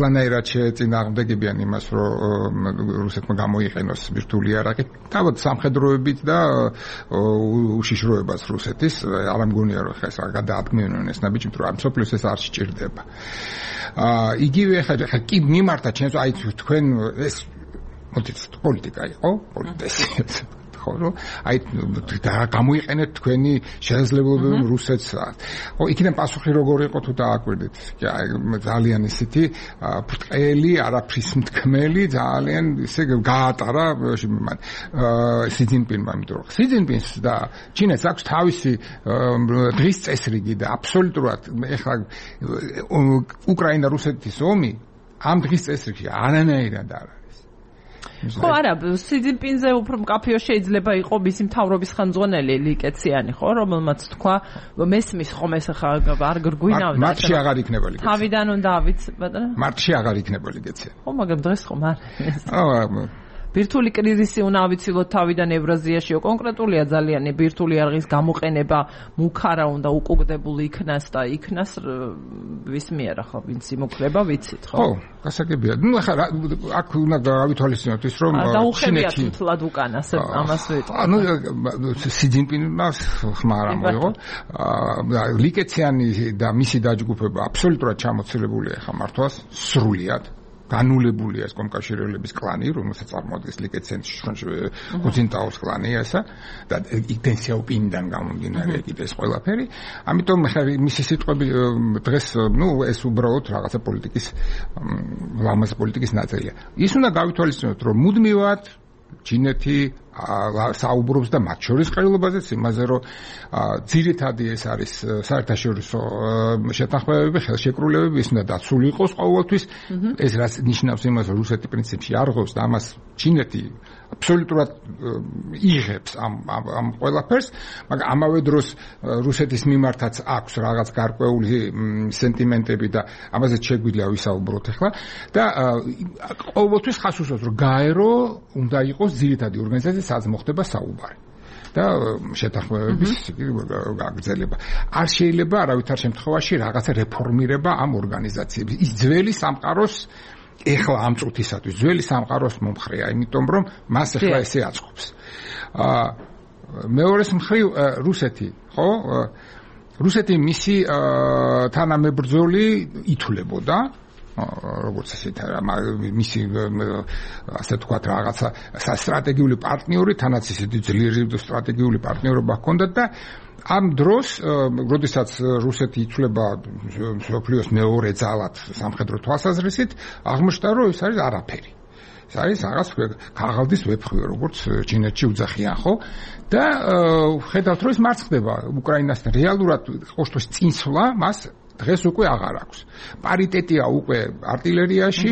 ყველანაირად შეეწინააღმდეგებიან იმას, რომ რუსეთმა გამოიყენოს ბირთვული არაყი. თავად სამხედროებით და უშიშროებას რუსეთის, არ მგონია რომ ხა გადაადგმევენ ეს ნაბიჯი, რომ ამ სოფლიოს ეს არ სჭირდება. იგივე ხა კი მიმართა ჩემს აი თქვენ ეს პოლიტიკა იყო, პოლიტიკა ხო რომ აი გამოიყენეთ თქვენი შესაძლებლობები რუსეთს. ხო იქიდან პასუხი როგორ იყო თუ დააკვირდით? ძალიან ისეთი ბრტყელი, არაფრის მთქმელი, ძალიან ისე გაატარა სი ძინპინმა, იმიტომ რომ სი ძინპინს და ჩინეთს აქვს თავისი დღის წესრიგი და აბსოლუტურად ეხლა უკრაინა-რუსეთის ომი ამ დღის წესრიგში არანაირად არ ხო არა, სი ძინპინზე უფრო მკაფიო შეიძლება იყო მისი მთავრობის ხანძღვანელი ლიკეციანი, ხო, რომელმაც თქვა, მესმის ხომ ეს ხა არ გრგვინავდა. მარტში აღარ იქნება ლიკეციანი. თავიდან უნდა ავიც, ბატონო? მარტში აღარ იქნება ლიკეციანი. ხო, მაგრამ დღეს ხომ არ. ბირთვული კრიზისი უნდა ავიცილოთ თავიდან ევრაზიაშიო კონკრეტულია ძალიან ბირთვული არღის გამოყენება მუქარა უნდა უკუგდებული იქნას და იქნას ვის მიერ ახლა ვინც იმოქრება ვიცით ხო? ხო, გასაგებია. ნუ ახლა აქ უნდა გავითვალისწინოთ ის რომ ჩინეთი თლად უკანას ამას ვიტყვი. ანუ სი ძინპინმა ხმა არ მოიღო. ლიკეციანი და მისი დაჯგუფება აბსოლუტურად ჩამოცილებულია ხა მართვას სრულიად. განულებულია ეს კომკავშირებლების კლანი, რომელსაც წარმოადგენს ლიკეციანის ხუცინტაოს კლანი ესა და იქ სიაოპინიდან გამომდინარე კიდე ეს ყველაფერი. ამიტომ მისი სიტყვები დღეს ნუ ეს უბრალოდ რაღაცა პოლიტიკის ლამაზ პოლიტიკის ნაწილია. ის უნდა გავითვალისწინოთ, რომ მუდმივად ჩინეთი საუბრობს და მათ შორის ყრილობაზეც იმაზე, რომ ძირითადი ეს არის საერთაშორისო შეთანხმებები, ხელშეკრულებები, ის უნდა დაცული იყოს ყოველთვის. ეს რაც ნიშნავს იმას, რომ რუსეთი პრინციპში არ ღობს და ამას ჩინეთი აბსოლუტურად იღებს ამ ყველაფერს, მაგრამ ამავე დროს რუსეთის მიმართაც აქვს რაღაც გარკვეული სენტიმენტები და ამაზეც შეგვიძლია ვისაუბროთ ახლა და ყოველთვის ხას უსვამს, რომ გაერო უნდა იყოს ძირითადი ორგანიზაცია სადაც მოხდება საუბარი და შეთანხმებების გაგრძელება. არ შეიძლება არავითარ შემთხვევაში რაღაცა რეფორმირება ამ ორგანიზაციების. ის ძველი სამყაროს ეხლა ამ წუთისათვის ძველი სამყაროს მომხრეა, იმიტომ რომ მას ეხლა ესე აწყობს. მეორეს მხრივ რუსეთი, ხო? რუსეთი მისი თანამებრძოლი ითვლებოდა როგორც ასეთ მისი ასე თქვათ რაღაცა სტრატეგიული პარტნიორი, თანაც ისეთი ძლიერი სტრატეგიული პარტნიორობა ჰქონდათ და ამ დროს, როდესაც რუსეთი იცვლება მსოფლიოს მეორე ძალად სამხედრო თვალსაზრისით, აღმოჩნდა, რომ ეს არის არაფერი. ეს არის რაღაც ქაღალდის ვეფხვი, როგორც ჩინეთში უძახიან, ხო? და ხედავთ, რომ ეს მარცხ ხდება უკრაინასთან. რეალურად ყოველთვის წინსვლა მას დღეს უკვე აღარ აქვს. პარიტეტია უკვე არტილერიაში,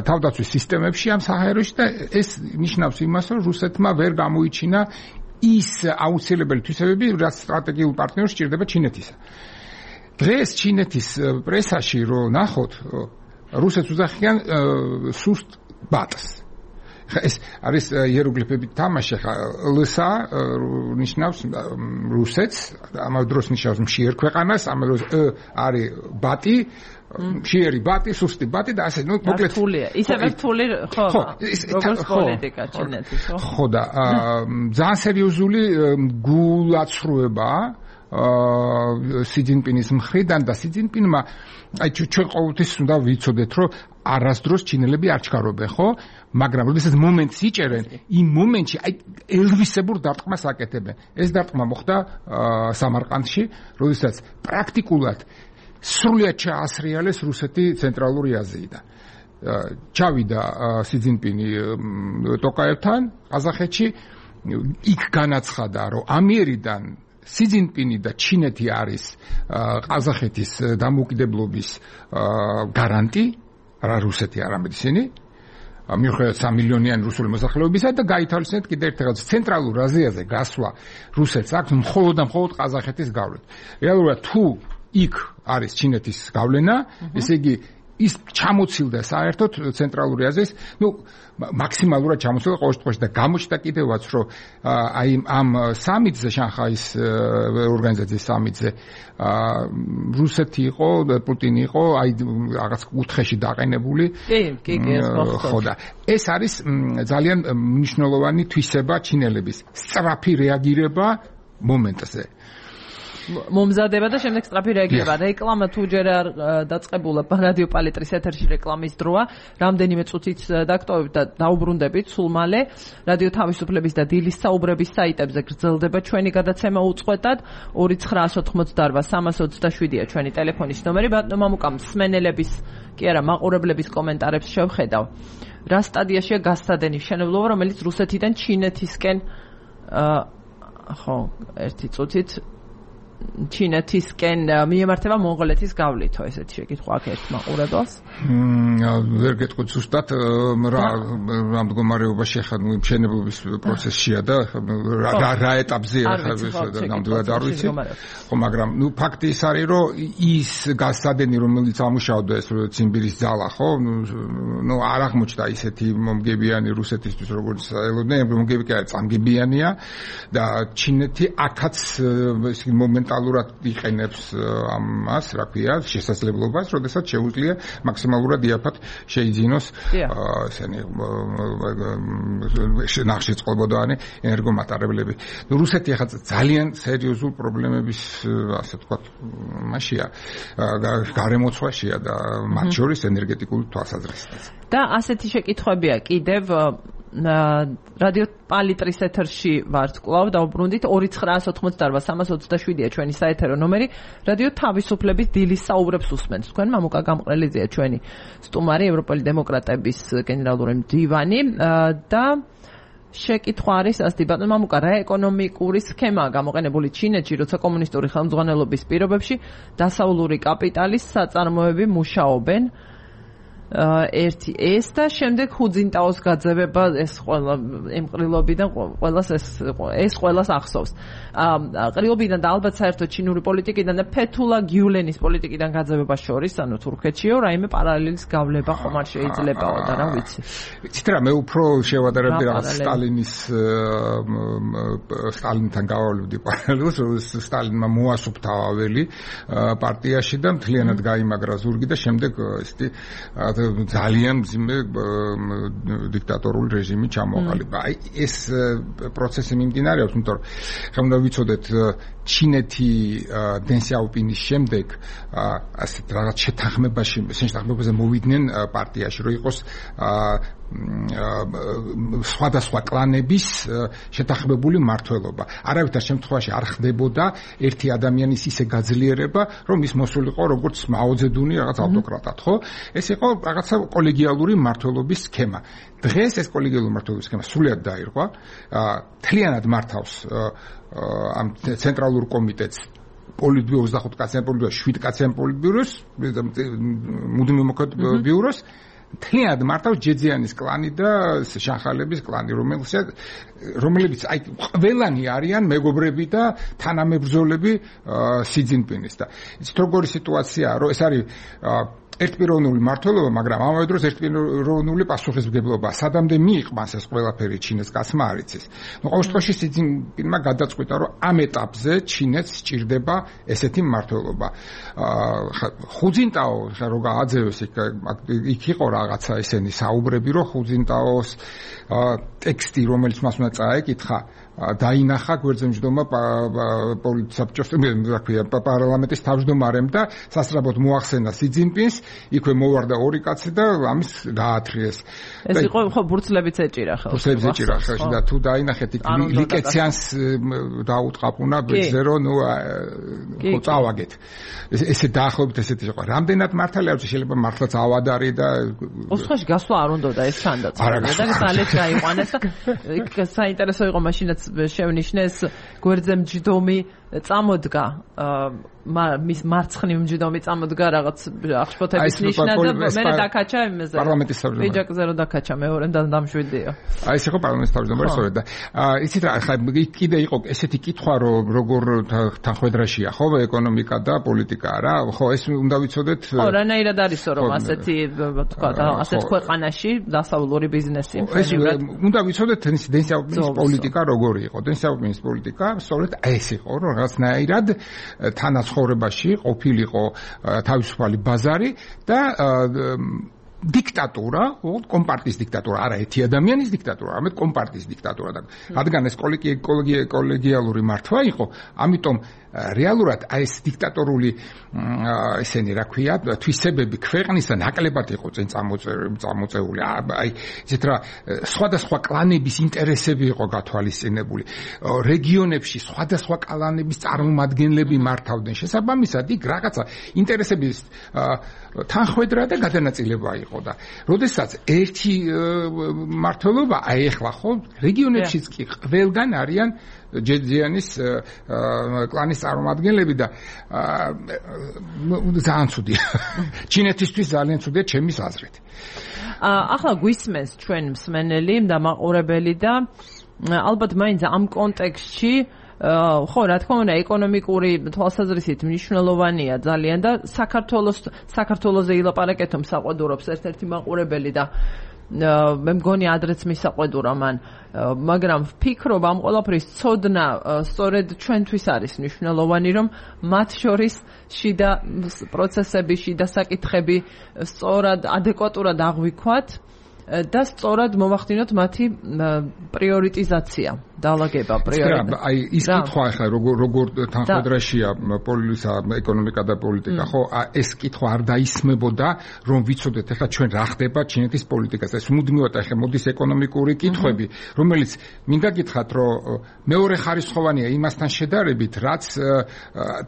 თავდაცვის სისტემებში ამ საჰაეროში და ეს ნიშნავს იმას, რომ რუსეთმა ვერ გამოიჩინა ის აუცილებელი თვისებები, რაც სტრატეგიულ პარტნიორს სჭირდება ჩინეთისა. დღეს ჩინეთის პრესაში რო ნახოთ, რუსეთს უძახიან სუსტ ბატს. ეს არის იეროგლიფებით თამაში, ხა ლსა ნიშნავს რუსეთს, ამავე დროს ნიშნავს მშიერ ქვეყანას, ამავე დროს არის ბატი, მშიერი ბატი, სუსტი ბატი და ასე, მოკლედ ისევე რთული ხო, როგორც პოლიტიკა ჩინეთის, ხო? ხო და ძალიან სერიოზული გულაცრუებაა სი ძინპინის მხრიდან და სი ძინპინმა აი ჩვენ ყოველთვის უნდა ვიცოდეთ, რომ არასდროს ჩინელები არ ჩქარობენ, ხო? მაგრამ როდესაც მომენტს იჭერენ, იმ მომენტში აი ელვისებურ დარტყმას აკეთებენ. ეს დარტყმა მოხდა სამარყანდში, როდესაც პრაქტიკულად სრულად ჩაასრიალეს რუსეთი ცენტრალური აზიიდან. ჩავიდა სი ძინპინი ტოკაევთან ყაზახეთში, იქ განაცხადა, რომ ამიერიდან სი ძინპინი და ჩინეთი არის ყაზახეთის დამოუკიდებლობის გარანტი, რა რუსეთი არამედ ისინი, მიუხედავად 3 მილიონიანი რუსული მოსახლეობისა და გაითავისუფლეთ კიდევ ერთ რაღაც ცენტრალურ აზიაზე გასვლა რუსეთს აქვს მხოლოდ და მხოლოდ ყაზახეთის გავლით. რეალურად თუ იქ არის ჩინეთის გავლენა, ესე იგი ის ჩამოცილდა საერთოდ ცენტრალური აზიის, მაქსიმალურად ჩამოცილდა ყოველთვის და გამოჩნდა კიდევაც, რომ აი ამ სამიტზე, შანხაის ორგანიზაციის სამიტზე რუსეთი იყო, პუტინი იყო, აი რაღაც კუთხეში დაყენებული. კი, ეს ხო და ეს არის ძალიან მნიშვნელოვანი თვისება ჩინელების, სწრაფი რეაგირება მომენტზე. მომზადება და შემდეგ სწრაფი რეაგირება. რეკლამა თუ ჯერ არ დაწყებულა რადიო პალიტრის ეთერში რეკლამის დროა, რამდენიმე წუთით დაგტოვებთ და დაუბრუნდებით სულ მალე. რადიო თავისუფლების და დილის საუბრების საიტებზე გრძელდება ჩვენი გადაცემა უწყვეტად 2988327-ია ჩვენი ტელეფონის ნომერი. ბატონო მამუკა, მსმენელების კი არა, მაყურებლების კომენტარებს შევხედავ. რა სტადიაშია გასცადენი მშენებლობა, რომელიც რუსეთიდან ჩინეთისკენ ხო, ერთი წუთით ჩინეთისკენ მიემართება მონღოლეთის გავლითო, ესეთი შეკითხვა აქ ერთ მაყურებელს. ვერ გეტყვით ზუსტად რა მდგომარეობაში ხარ მშენებლობის პროცესშია და რა ეტაპზეა ნამდვილად არ ვიცი. ხო, მაგრამ ფაქტი ის არის, რომ ის გასცადენი, რომელიც ამუშავდა ეს ციმბირის ძალა, ხო, არ აღმოჩნდა ისეთი მომგებიანი რუსეთისთვის, როგორც ელოდნენ, მომგები კი არის, წამგებიანია და ჩინეთი აქაც მომენტალურად იყენებს ამას, რა ქვია, შესაძლებლობას, როდესაც შეუძლია მაქსიმალურად იაფად შეიძინოს ესენი ნახშირწყალბადოვანი ენერგომატარებლები. რუსეთი ახლა ძალიან სერიოზულ პრობლემების, ასე ვთქვათ, მასია, გარემოცვაშია და მათ შორის ენერგეტიკული თვალსაზრისით. და ასეთი შეკითხვებია კიდევ რადიო პალიტრის ეთერში ვართ კვლავ დაუბრუნდით 2988327-ია ჩვენი საეთერო ნომერი. რადიო თავისუფლების დილის საუბრებს უსმენთ. თქვენ მამუკა გამყრელიძეა ჩვენი სტუმარი, ევროპელი დემოკრატების გენერალური მდივანი და შეკითხვა არის ასეთი, ბატონო მამუკა, რა ეკონომიკური სქემაა გამოყენებული ჩინეთში, როცა კომუნისტური ხელმძღვანელობის პირობებში დასავლური კაპიტალის საწარმოები მუშაობენ? ერთი ეს და შემდეგ ხუძინტაოს გაძევება, ეს ყველა ემყრილობიდან ყველას ეს ყველას ახსოვს. ყრილობიდან და ალბათ საერთოდ ჩინური პოლიტიკიდან და ფეთულა გიულენის პოლიტიკიდან გაძევება შორის, ანუ თურქეთშიო, რაიმე პარალელის გავლება ხომ არ შეიძლებაო და რა ვიცი. იცით რა, მე უფრო შევადარებდი რაღაც სტალინთან გავავლევდი პარალელს, რომ სტალინმა მოასუფთა აველი პარტიაში და მთლიანად გაიმაგრა ზურგი და შემდეგ ესეთი ძალიან მძიმე დიქტატორული რეჟიმი ჩამოყალიბა. აი ეს პროცესი მიმდინარეობს, იმიტომ რომ ხომ უნდა ვიცოდეთ ჩინეთი დენ სიაოპინის შემდეგ ასეთ რაღაც შეთანხმებაზე მოვიდნენ პარტიაში, რომ იყოს სხვადასხვა კლანების შეთანხმებული მმართველობა. არავითარ შემთხვევაში არ ხდებოდა ერთი ადამიანის ისე გაძლიერება, რომ ის მოსულიყო როგორც მაო ძედუნი რაღაც ავტოკრატად, ხო? ეს იყო რაღაცა კოლეგიალური მმართველობის სქემა. დღეს ეს კოლეგიალური მმართველობის სქემა სრულიად დაირღვა. თლიანად მართავს ამ ცენტრალურ კომიტეტს პოლიტბიუროს 25 კაციან პოლიტბიუროს 7 კაციან პოლიტბიუროს მუდმივ მოქმედ ბიუროს თლიანად მართავს ჯეძიანის კლანი და შანხალების კლანი, რომლებიც აი ყველანი არიან მეგობრები და თანამებრძოლები სი ძინპინის და იცით როგორი სიტუაციაა, რომ ეს არის ერთპიროვნული მმართველობა, მაგრამ ამავე დროს ერთპიროვნული პასუხისმგებლობა. სადამდე მიიყვანს ეს ყველაფერი ჩინეთს, კაცმა არ იცის. ნუ ყოველ შემთხვევაში სი ძინპინმა გადაწყვიტა, რომ ამ ეტაპზე ჩინეთს სჭირდება ესეთი მმართველობა. ხუძინტაო რო გააძევეს იქ იყო რაღაცა ესენი საუბრები, რომ ხუძინტაოს ტექსტი, რომელიც მას უნდა წაეკითხა, დაინახა გვერდზემჯდომა პოლიტსაბჭოს პარლამენტის თავმჯდომარემ და სასწრაფოდ მოახსენა სი ძინპინს, იქვე მოვარდა ორი კაცი და ამის გაათრიეს. ეს იყო ხო ბურთლებიც ეჭირა ხელს. ბურთლებიც ეჭირა ხელში და თუ დაინახეთ ლიკეციანს დაუტყაპუნა ბეძზე რომ ნუ ხო წავაგეთ. ესე დაახლოებით ესეთი იყო. რამდენად მართალია შეიძლება მართლაც ავადარი და უცხოში გასვლა არ უნდოდა ეს თანდაწყებია და ძალეთ გაიყვანეს და იქ საინტერესო იყო მაშინაც შევნიშნეს გვერდზე მჯდომი წამოდგა მის მარცხნივ მჯდომი წამოდგა რაღაც აღშფოთების ნიშნად და მე დაკაჩა იმაზე პარლამენტის თავმჯდომარე ვიჯაკზე რო დაკაჩა მეორემ და დამშვიდიო. აი ეს იყო პარლამენტის თავმჯდომარე სწორედ და იცით რა ხა კიდე იყო ესეთი კითხვა რომ როგორ თანხმედრაშია ხო ეკონომიკა და პოლიტიკა რა ხო ეს უნდა ვიცოდეთ ხო რანაირად არისო რომ ასეთი თქვა ასეთ ქვეყანაში დასავლური ბიზნესი ეს უნდა ვიცოდეთ დენ სიაოპინის პოლიტიკა როგორი იყო დენ სიაოპინის პოლიტიკა სწორედ ეს იყო რომ რაღაცნაირად თანაცხოვრებაში ყოფილიყო თავისუფალი ბაზარი და დიქტატურა, კომპარტიის დიქტატურა, არა ერთი ადამიანის დიქტატურა, არამედ კომპარტიის დიქტატურა და რადგან ეს კოლეგიალური მართვა იყო, ამიტომ რეალურად ეს დიქტატორული ესენი რა ქვია, თვისებები ქვეყნისა ნაკლებად იყო წინ წამოწეული. აი ისეთ რა სხვადასხვა კლანების ინტერესები იყო გათვალისწინებული. რეგიონებში სხვადასხვა კლანების წარმომადგენლები მართავდნენ. შესაბამისად, იქ რაღაცა ინტერესების თანხმედრა და გადანაწილება იყო და როდესაც ერთი მმართველობა აი ახლა ხო რეგიონებშიც კი ყველგან არიან ჯეძიანის კლანის წარმომადგენლები და ძალიან ცუდია. ჩინეთისთვის ძალიან ცუდია ჩემის აზრით. ახლა გვისმენს ჩვენ მსმენელი და მაყურებელი და ალბათ მაინც ამ კონტექსტში ხო რა თქმა უნდა ეკონომიკური თვალსაზრისით მნიშვნელოვანია ძალიან და საქართველოზე ილაპარაკეთო მსაყვედურობს ერთ-ერთი მაყურებელი და მე მგონი ადრეც მისაყვედურა მან მაგრამ ვფიქრობ ამ ყველაფრის ცოდნა სწორედ ჩვენთვის არის მნიშვნელოვანი რომ მათ შორის შიდა პროცესები შიდა საკითხები სწორად ადეკვატურად აღვიქვათ და სწორად მოვახდინოთ მათი პრიორიტიზაცია დაალაგება პრიორიტეტი. აი ის კითხვა ახლა როგორ თანხმედრაშია პოლიტიკა, ეკონომიკა და პოლიტიკა, ხო, ეს კითხვა არ დაისმებოდა, რომ ვიცოდეთ ახლა ჩვენ რა ხდება ჩინეთის პოლიტიკაზე. ეს მუდმივად ახლა მოდის ეკონომიკური კითხვები, რომელიც მინდა გითხრათ, რომ მეორე ხარისხოვანია იმასთან შედარებით, რაც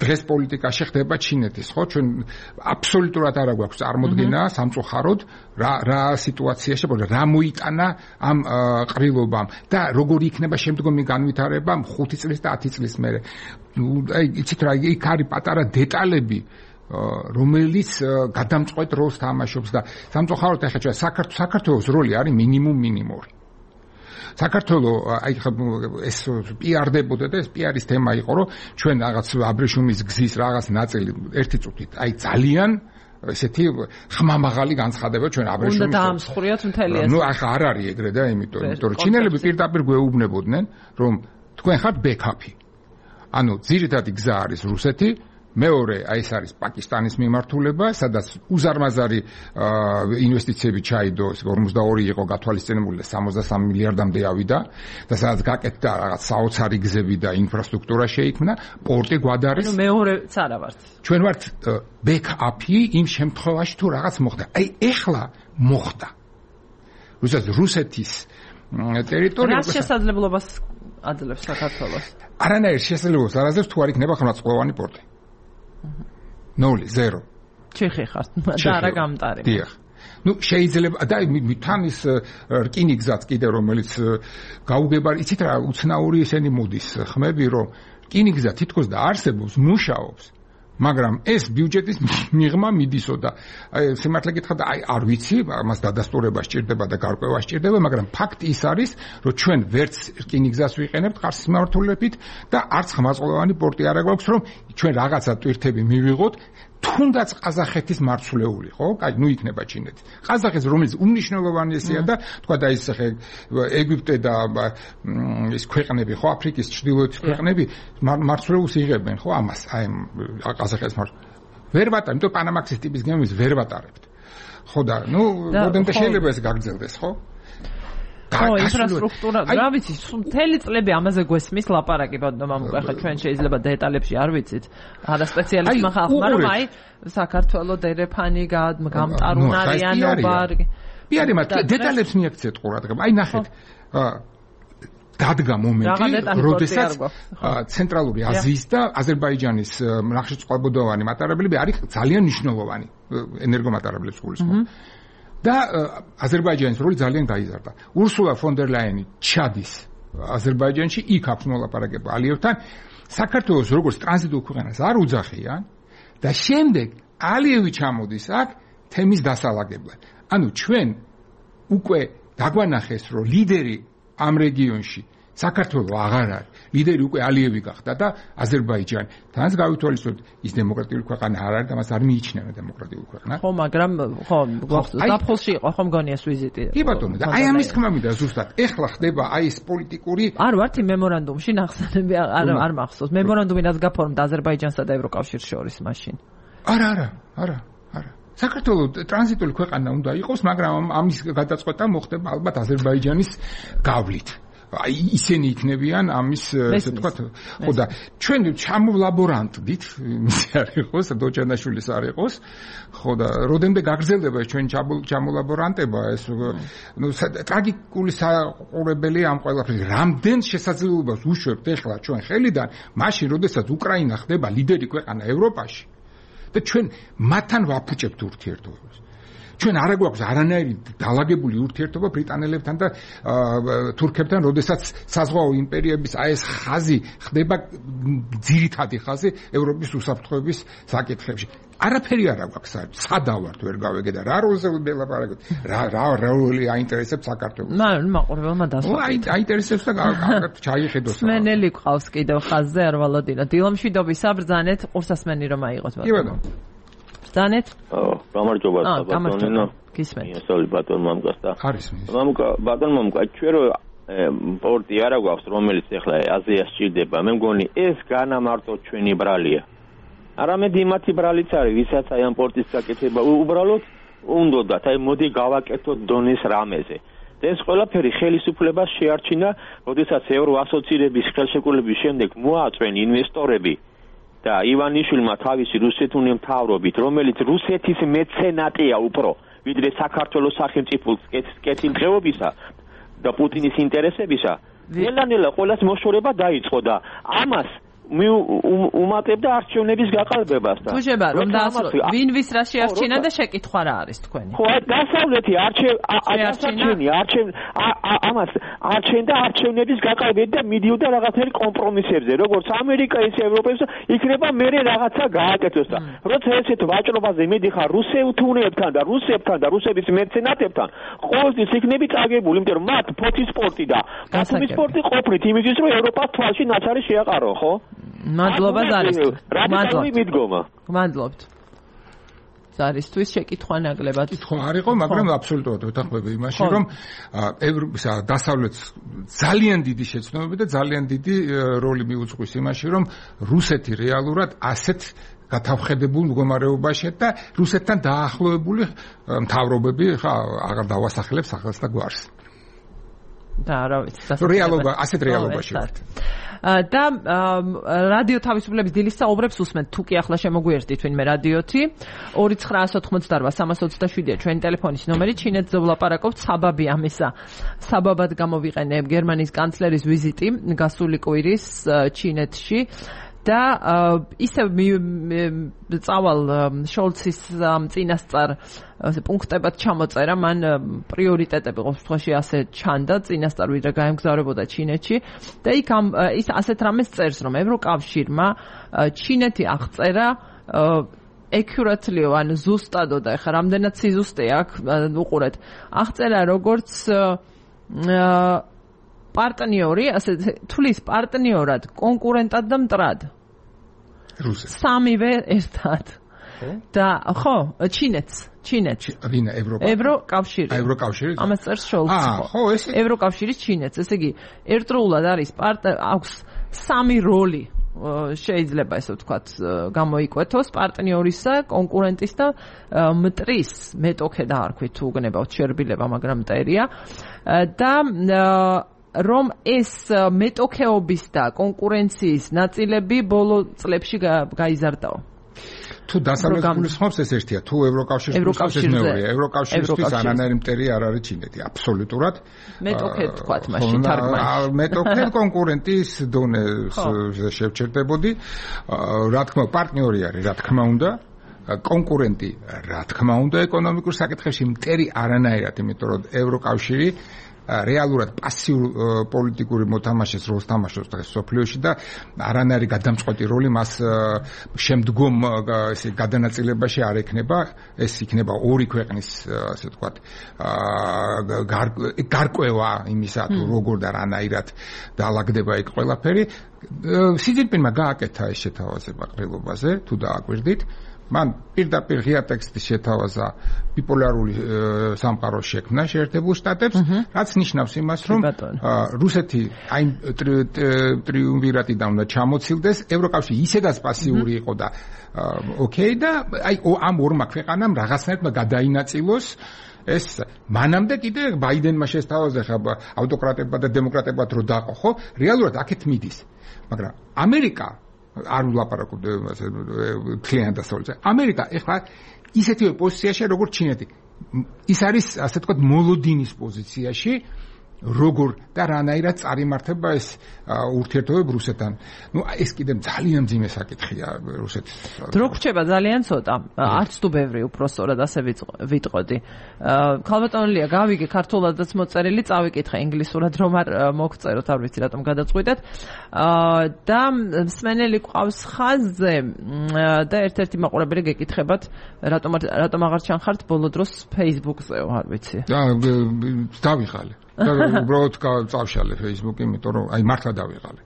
დღეს პოლიტიკაში ხდება ჩინეთის, ხო? ჩვენ აბსოლუტურად არ გვაქვს წარმოდგენა სამწუხაროდ რა სიტუაციაში რა მოიტანა ამ ყრილობამ და როგორი იქნება შემდგომი განვითარება 5 წლის და 10 წლის მერე. აი იცით რა იქ არის პატარა დეტალები რომელიც გადამწყვეტ როლს თამაშობს და სამწუხაროდ ახლა ჩვენ საქართველოს როლი არის მინიმუმი. საქართველოს აი ეს პიარდებოდა და ეს პიარის თემა იყო რომ ჩვენ რაღაც აბრეშუმის გზის რაღაც ნაწილი ერთი წუთით აი ძალიან ესეთი ხმამაღალი განცხადება ჩვენ აბრეშუმის უნდა დაამსხვრიოთ მთელი ეს. ნუ ახლა არ არის ეგრე და იმიტომ რომ ჩინელები პირდაპირ გვეუბნებოდნენ რომ თქვენ ხართ ბექაპი. ანუ ძირითადი გზა არის რუსეთი მეორე აი ეს არის პაკისტანის მიმართულება, სადაც უზარმაზარი ინვესტიციები ჩაიდო, 42 იყო გათვალისწინებული და 63 მილიარდამდე ავიდა და სადაც გაკეთდა რაღაც საოცარი გზები და ინფრასტრუქტურა შეიქმნა, პორტი გვადარის. ანუ მეორეც არა ვართ. ჩვენ ვართ ბექაპი იმ შემთხვევაში თუ რაღაც მოხდა. აი ეხლა მოხდა. რუსეთის ტერიტორია რა შესაძლებლობას აძლევს საქართველოს? არანაირ შესაძლებლობას არ აძლევს თუ არ იქნება ხმლათწყლოვანი პორტი. 0 ჩეხი ხართ და არა გამტარი. დიახ. ნუ შეიძლება და თან ის რკინიგზაც კიდე რომელიც გაუგებარი იცით რა უცნაური ესენი მოდის ხმები რომ რკინიგზა თითქოს და არსებობს მუშაობს მაგრამ ეს ბიუჯეტის მიღმა მიდისო და აი სიმართლე გითხრა და აი არ ვიცი ამას დადასტურება სჭირდება და გარკვევა სჭირდება მაგრამ ფაქტი ის არის რომ ჩვენ ვერც რკინიგზას ვიყენებთ ხარს მიმართულებით და არც ხმაწყლოვანი პორტი არ აქვს რომ ჩვენ რაღაცა ტვირთები მივიღოთ თუნდაც ყაზახეთის მარცვლეული ხო? აი, ნუ იქნება ჩინეთი. ყაზახეთს რომელიც უმნიშვნელოვანესია და თქვა და ის ხე ეგვიპტე და ის ქვეყნები ხო, აფრიკის ჩრდილოეთ ქვეყნები მარცვლეულს იღებენ ხო ამას, აი ყაზახეთის ვერ ვატარებ, იმიტომ პანამაქსის ტიპის გემებს ვერ ვატარებთ. ხო და ნუ როდემდე შეიძლება ეს გაგრძელდეს ხო? ხო, ინფრასტრუქტურა, რა ვიცი, მთელი წლები ამაზე გვესმის ლაპარაკი ბატონო მამუკა, ხა ჩვენ შეიძლება დეტალებში არ ვიცით. არა სპეციალისტმა ხალხმა, რომ აი საქართველოს დერეფანი გამტარუნარიანობა. პიარი მათ დეტალებს მიაქცეთ ყურადღება. აი ნახეთ. დადგა მომენტი, როდესაც ცენტრალური აზიის და აზერბაიჯანის ნახშირწყალბუდოვანი მატარებლები არის ძალიან მნიშვნელოვანი ენერგომატარებლებს გულისხმობ. და აზერბაიჯანის როლი ძალიან გაიზარდა. ურსულა ფონ დერ ლაიანი ჩადის აზერბაიჯანში, იქ აქვს მოლაპარაკება ალიევთან. საქართველოს როგორც ტრანზიტულ ქვეყანას არ უძახიან და შემდეგ ალიევი ჩამოდის აქ თემის დასალაგებლად. ანუ ჩვენ უკვე დაგვანახეს, რომ ლიდერი ამ რეგიონში საქართველოს აღარ არის. ლიდერი უკვე ალიევი გახდა და აზერბაიჯანი. თანაც გავითვალისწინოთ, ის დემოკრატიული ქვეყანა არ არის და მას არ მიიჩნევენ დემოკრატიულ ქვეყნად. ხო, მაგრამ ხო, დაფხულში იყო ხომ გონია ეს ვიზიტი. კი ბატონო, და აი ამის თქმა მინდა ზუსტად. ეხლა ხდება აი ეს პოლიტიკური არ ვართ იმ მემორანდუმში ნახსენები არ მახსოვს. მემორანდუმი რაც გაფორმდა აზერბაიჯანსა და ევროკავშირს შორის მაშინ. არა. საქართველოს ტრანზიტული ქვეყანა უნდა იყოს, მაგრამ ამის გადაწყვეტა მოხდება ალბათ აზერბაიჯანის გავლით. აი ისინი იქნებიან ამის ესე ვთქვათ ხო და ჩვენ ჩამოვლაბორანტდით ის არ იყოს დოჯანაშვილის არ იყოს ხო და როდემდე გაგრძელდება ჩვენ ჩამოვლაბორანტება ეს ნუ ტრაგიკული საყურებელი ამ ყველაფრის რამდენ შესაძლებლობას უშვებთ ეხლა ჩვენ ხელიდან მაშინ როდესაც უკრაინა ხდება ლიდერი ქვეყანა ევროპაში და ჩვენ მათთან ვაფუჭებთ ურთიერთობებს ჩვენ არ გვაქვს არანაირი დალაგებული ურთიერთობა ბრიტანელებთან და თურქებთან, როდესაც საზღვაო იმპერიების აი ეს ხაზი ხდება ძირითადი ხაზი ევროპის უსაფრთხოების საკითხებში. არაფერი არ აქვს, სადავართ ვერ გავეგე და რა როლზე ველაპარაკოთ. რა როლი აინტერესებს საქართველოს. მაყურებელმა დასვა. აინტერესებს და ჩაიხედოს. სმენელი ყავს კიდევ ხაზზე არ ვალოდინა. დილომშვიდობისა ბრძანეთ ყურსასმენი რომ აიღოთ ბატონო. კი ბატონო. ბრძანეთ? გამარჯობა ბატონო. გისმენთ. ისორი ბატონო მამუკას და არის მის. ბატონო მამუკა, ჩვენ რო პორტი არა გვაქვს, რომელიც ახლა აზიას ჭირდება. მე მგონი ეს განამარტო ჩვენი ბრალია. არამედ იმათი ბრალიც არის, ვისაც აი ამ პორტის გაკეთება უბრალოდ უნდათ, აი მოდი გავაკეთოთ დონის რამეზე. ეს ყველაფერი ხელისუფლებას შეარჩინა, როდესაც ევროასოცირების ხელშეკრულების შემდეგ მოაწვენ ინვესტორები და ივანიშვილმა თავისი რუსეთუნი მთავრობით, რომელიც რუსეთის მეცენატია უფრო, ვიდრე საქართველოს სახელმწიფოს კეთილდღეობისა და პუტინის ინტერესებისა, ნელა-ნელა ყოველას მოშორება დაიწყო და ამას უმატებდა არჩევნების გაყალბებას და თუჟება რომ დაასრულოთ ვინ ვის რა შეარჩინა და შეკითხვა რა არის თქვენი ხო დასავლეთი ამას არჩენდა არჩევნების გაყალბებით და მიდიოდა რაღაცნაირ კომპრომისებზე როგორც ამერიკა ისე ევროპის იქნება მერე რაღაცა გააკეთოს და როცა ესეთ ვაჭრობაზე მედიხარ რუსეთუნებთან და რუსებთან და რუსების მეცენატებთან ყოველთვის იქნები წაგებული იმიტომ რომ მათ ფოთის სპორტი და ბათუმის სპორტი ყოფნით იმისთვის რომ ევროპას თვალში ნაცარი შეაყარო ხო მადლობა ზარისთვის. მადლობთ. ზარისთვის შეკითხვა ნაკლებად. კითხვა არ იყო, მაგრამ აბსოლუტურად ვეთანხმები იმაში, რომ დასავლეთს ძალიან დიდი შეცდომები და ძალიან დიდი როლი მიუძღვის იმაში, რომ რუსეთი რეალურად ასეთ გათავხედებულ მდგომარეობაში და რუსეთთან დაახლოებული მთავრობები ხა აღარ დავასახელებს ახალს და გვარს. და რა ვიცი, რეალობა, ასეთ რეალობაში ვართ. და რადიო თავისუფლების დილის საუბრებს უსმენთ. თუ კი ახლა შემოგვიერთდით ვინმე რადიოთი 2988-327-ია ჩვენი ტელეფონის ნომერი. ჩინეთზე ვლაპარაკობთ. საბაბი ამისა. საბაბად გამოვიყენებ გერმანიის კანცლერის ვიზიტი გასული კვირის ჩინეთში. და ისევ წავალ შოლცის წინასწარ პუნქტებად ჩამოწერა, მან პრიორიტეტები ყოველ შემთხვევაში ასე ჩანდა წინასწარ ვიდრე გაემგზავრებოდა ჩინეთში და იქ ის ასეთ რამეს წერს, რომ ევროკავშირმა ჩინეთი აღწერა accuraately-ო, ან ზუსტადო და ეხლა რამდენად სიზუსტე აქვს, უყურეთ, აღწერა როგორც პარტნიორი, ასე თulis პარტნიორად, კონკურენტად და მტრად. რუსეთს. სამივე ერთად. და ხო, ჩინეთს. ვინა ევროკავშირი. ევროკავშირი. ამას წერს შოლცი. ხო, ესე. ევროკავშირის ჩინეთს, ესე იგი, ერთდროულად არის აქვს სამი როლი. შეიძლება ესე ვთქვათ გამოიკვეთოს პარტნიორისა, კონკურენტის და მტრის, მეტოქე დაარქვით თუ გნებავთ შერბილება, მაგრამ მტერია. და რომ ეს მეტოქეობის და კონკურენციის ნაწილები ბოლო წლებში გაიზარდაო. თუ დასავლეთ გულისხმობს ეს ერთია, თუ ევროკავშირს გულისხმობს ეს მეორეა. ევროკავშირისთვის არანაირი მტერი არ არის ჩინეთი, აბსოლუტურად. მეტოქე თქვათ მაშინ თარგმანში. მეტოქე კონკურენტის დონეზე შევჩერდებოდი. რა თქმა უნდა, პარტნიორი არის, რა თქმა უნდა. კონკურენტი, რა თქმა უნდა, ეკონომიკურ საკითხებში მტერი არანაირად, იმიტომ რომ ევროკავშირი რეალურად პასიურ პოლიტიკური მოთამაშეს როლს თამაშობს დღეს სოფლიოში და არანაირი გადამწყვეტი როლი მას შემდგომ ესე გადანაწილებაში არ ექნება. ეს იქნება ორი ქვეყნის ასე ვთქვათ გარკვევა იმისა თუ როგორ და რანაირად დაალაგდება იქ ყველაფერი. სი ძინპინმა გააკეთა ეს შეთავაზება ყრილობაზე, თუ დააკვირდით. მან პირდაპირ ღია ტექსტის შეთავაზა ბიპოლარული სამყაროს შექმნა შეერთებულ შტატებს, რაც ნიშნავს იმას, რომ რუსეთი აი ტრიუმვირატიდან უნდა ჩამოცილდეს, ევროკავშირი ისედაც პასიური იყო და ოკეი და აი ამ ორმა ქვეყანამ რაღაცნაირად გადაინაწილოს ეს მანამდე კიდე ბაიდენმა შესთავაზა ხა ავტოკრატებად და დემოკრატებად რო დაყო, ხო? რეალურად აქეთ მიდის. მაგრამ ამერიკა არ ვლაპარაკობ კლიენტ დასავლეთზე. ამერიკა ეხლა ისეთივე პოზიციაში როგორც ჩინეთი. ის არის ასე ვთქვათ მოლოდინის პოზიციაში, როგორ და რანაირად წარიმართება ეს ურთიერთობები რუსეთთან. ნუ ეს კიდე ძალიან მძიმე საკითხია რუსეთის. დრო გრჩება ძალიან ცოტა. არც თუ ბევრი უпроსტორად ასე ვიტყოდი. ქალბატონელია გავიგე ქართულადაც მოწერილი, წავიკითხე ინგლისურად რომ არ მოგწეროთ, არ ვიცი რატომ გადაწყვიტეთ. და მსმენელი ყავს ხაზზე და ერთ-ერთი მაყურებელი გეკითხებათ, რატომ აღარ ჩანხართ ბოლო დროს Facebook-ზეო, არ ვიცი. დავიღალე. და უბრალოდ წავშალე Facebook-ი, იმიტომ რომ აი მართლა დავიღალე.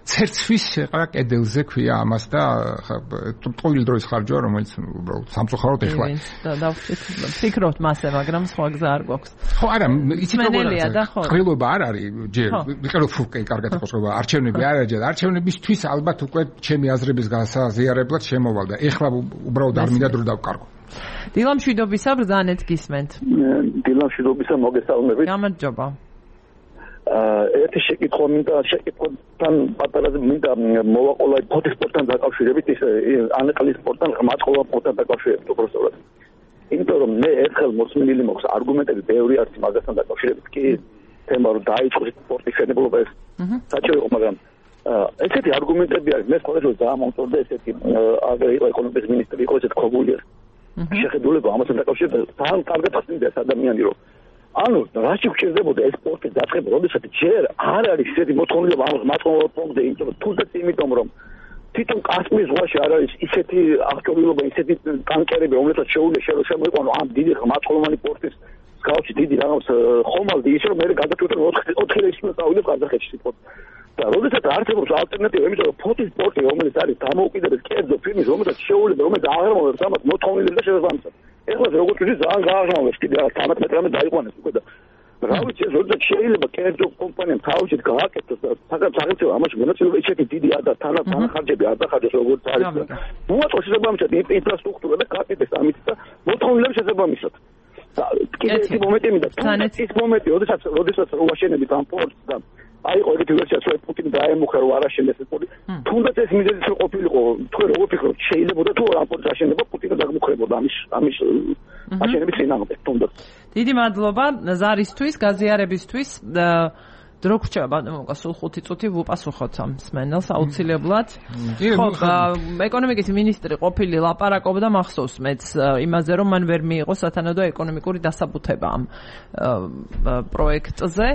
ცერცვის შეყარა კედელზე ქვია ამას და ტყუილი დროის ხარჯვა, რომელიც უბრალოდ სამწუხაროდ ეხლა. და ვფიქრობთ მასე, მაგრამ სხვა გზა არ გვაქვს. ხო, არა, იცით როგორ და ხო. ყრილობა არ არის ჯერ. ვიყერო ფუკე კარგად იყოს ყრილობა, არჩევნები არ არის ჯერ. არჩევნებისთვის ალბათ უკვე ჩემი აზრების გასაზიარებლად შემოვალ და ეხლა უბრალოდ არ მინდა დრო დავკარგო. დილამშვიდობისა ბრძანეთ გისმენთ. დილამშვიდობისა მოგესალმებით. გამარჯობა. ერთი შეკითხვა მინდა შეკითხვასთან პატარაზე მინდა მოვაყოლა ფოთის სპორტთან დაკავშირებით ის ანეყლის სპორტთან მაწყობა სპორტთან დაკავშირებით უბრალოდ. იმიტომ რომ მე ერთხელ მოსმენილი მაქვს არგუმენტები ბევრი არის მაგასთან დაკავშირებით კი თემა რომ დაიწყოს სპორტის შენებლობა ეს საჭირო იყო მაგრამ ესეთი არგუმენტები არის მე ხოლმე დაამონწორდა ესეთი ეკონომიკის მინისტრი იყო ესეთ ქოგული შეხედულება ამასთან დაკავშირებით თან კარგად ასწინდეს ადამიანი რომ ანუ რაში გვჭირდებოდა ეს სპორტის დაწყება, როდესაც ჯერ არ არის ისეთი მოთხოვნილება ამ მაწყობა პუნქტზე, თუნდაც იმიტომ რომ თვითონ კასპიის ზღვაში არ არის ისეთი აღჭურვილობა, ისეთი ტანკერები, რომლებსაც შეუძლია შემოიყვანო ამ დიდი მაწყობანი სპორტის მსგავსი დიდი რაღაც ხომალდი, ის რომ მე გადაწყვეტე 4 რეისში წავიდე ყაზახეთში სიტყვით. და როდესაც არსებობს ალტერნატივა, იმიტომ რომ ფოთის სპორტი, რომელიც არის დამოუკიდებელი კერძო ფილმის, რომელსაც შეუძლია, რომელიც აღრმავებს ამას მოთხოვნილებას და შესაბამისად. ეხლა როგორც ვთქვი, ძალიან გააღრმავებს კიდე 13 მეტრამდე დაიყვანეს უკვე და რა ვიცი, როდესაც შეიძლება კერძო კომპანიამ თავისით გააკეთოს და საქართველოს ამაში მონაწილეობა ისეთი დიდი თანახარჯები არ დახარჯოს როგორც არის. მოაწყოს შესაბამისად ინფრასტრუქტურა და გააკეთეს ამით და მოთხოვნილების შესაბამისად. კიდევ ერთი მომენტი მინდა. ის მომენტი, როდესაც ვაშენებით ამ პორტს და აიყო ეგეთი ვერსიაც, რომ პუტინი დაემუხა რომ არ აშენდეს ეს პორტი. თუნდაც ეს მიზეზი რო ყოფილიყო, თქვენ როგორ ფიქრობთ, შეიძლებოდა თუ ამ პორტს აშენდება პუტინი დაგმუხრებოდა ამის აშენების წინააღმდეგ თუნდაც. დიდი მადლობა ზარისთვის, გაზიარებისთვის. დრო გრჩება ბატონო, სულ 5 წუთი ვუპასუხოთ ამ სმენელს აუცილებლად. ხო, ეკონომიკის მინისტრი ყოფილი ლაპარაკობდა მახსოვს მეც იმაზე, რომ მან ვერ მიიღო სათანადო ეკონომიკური დასაბუთება ამ პროექტზე.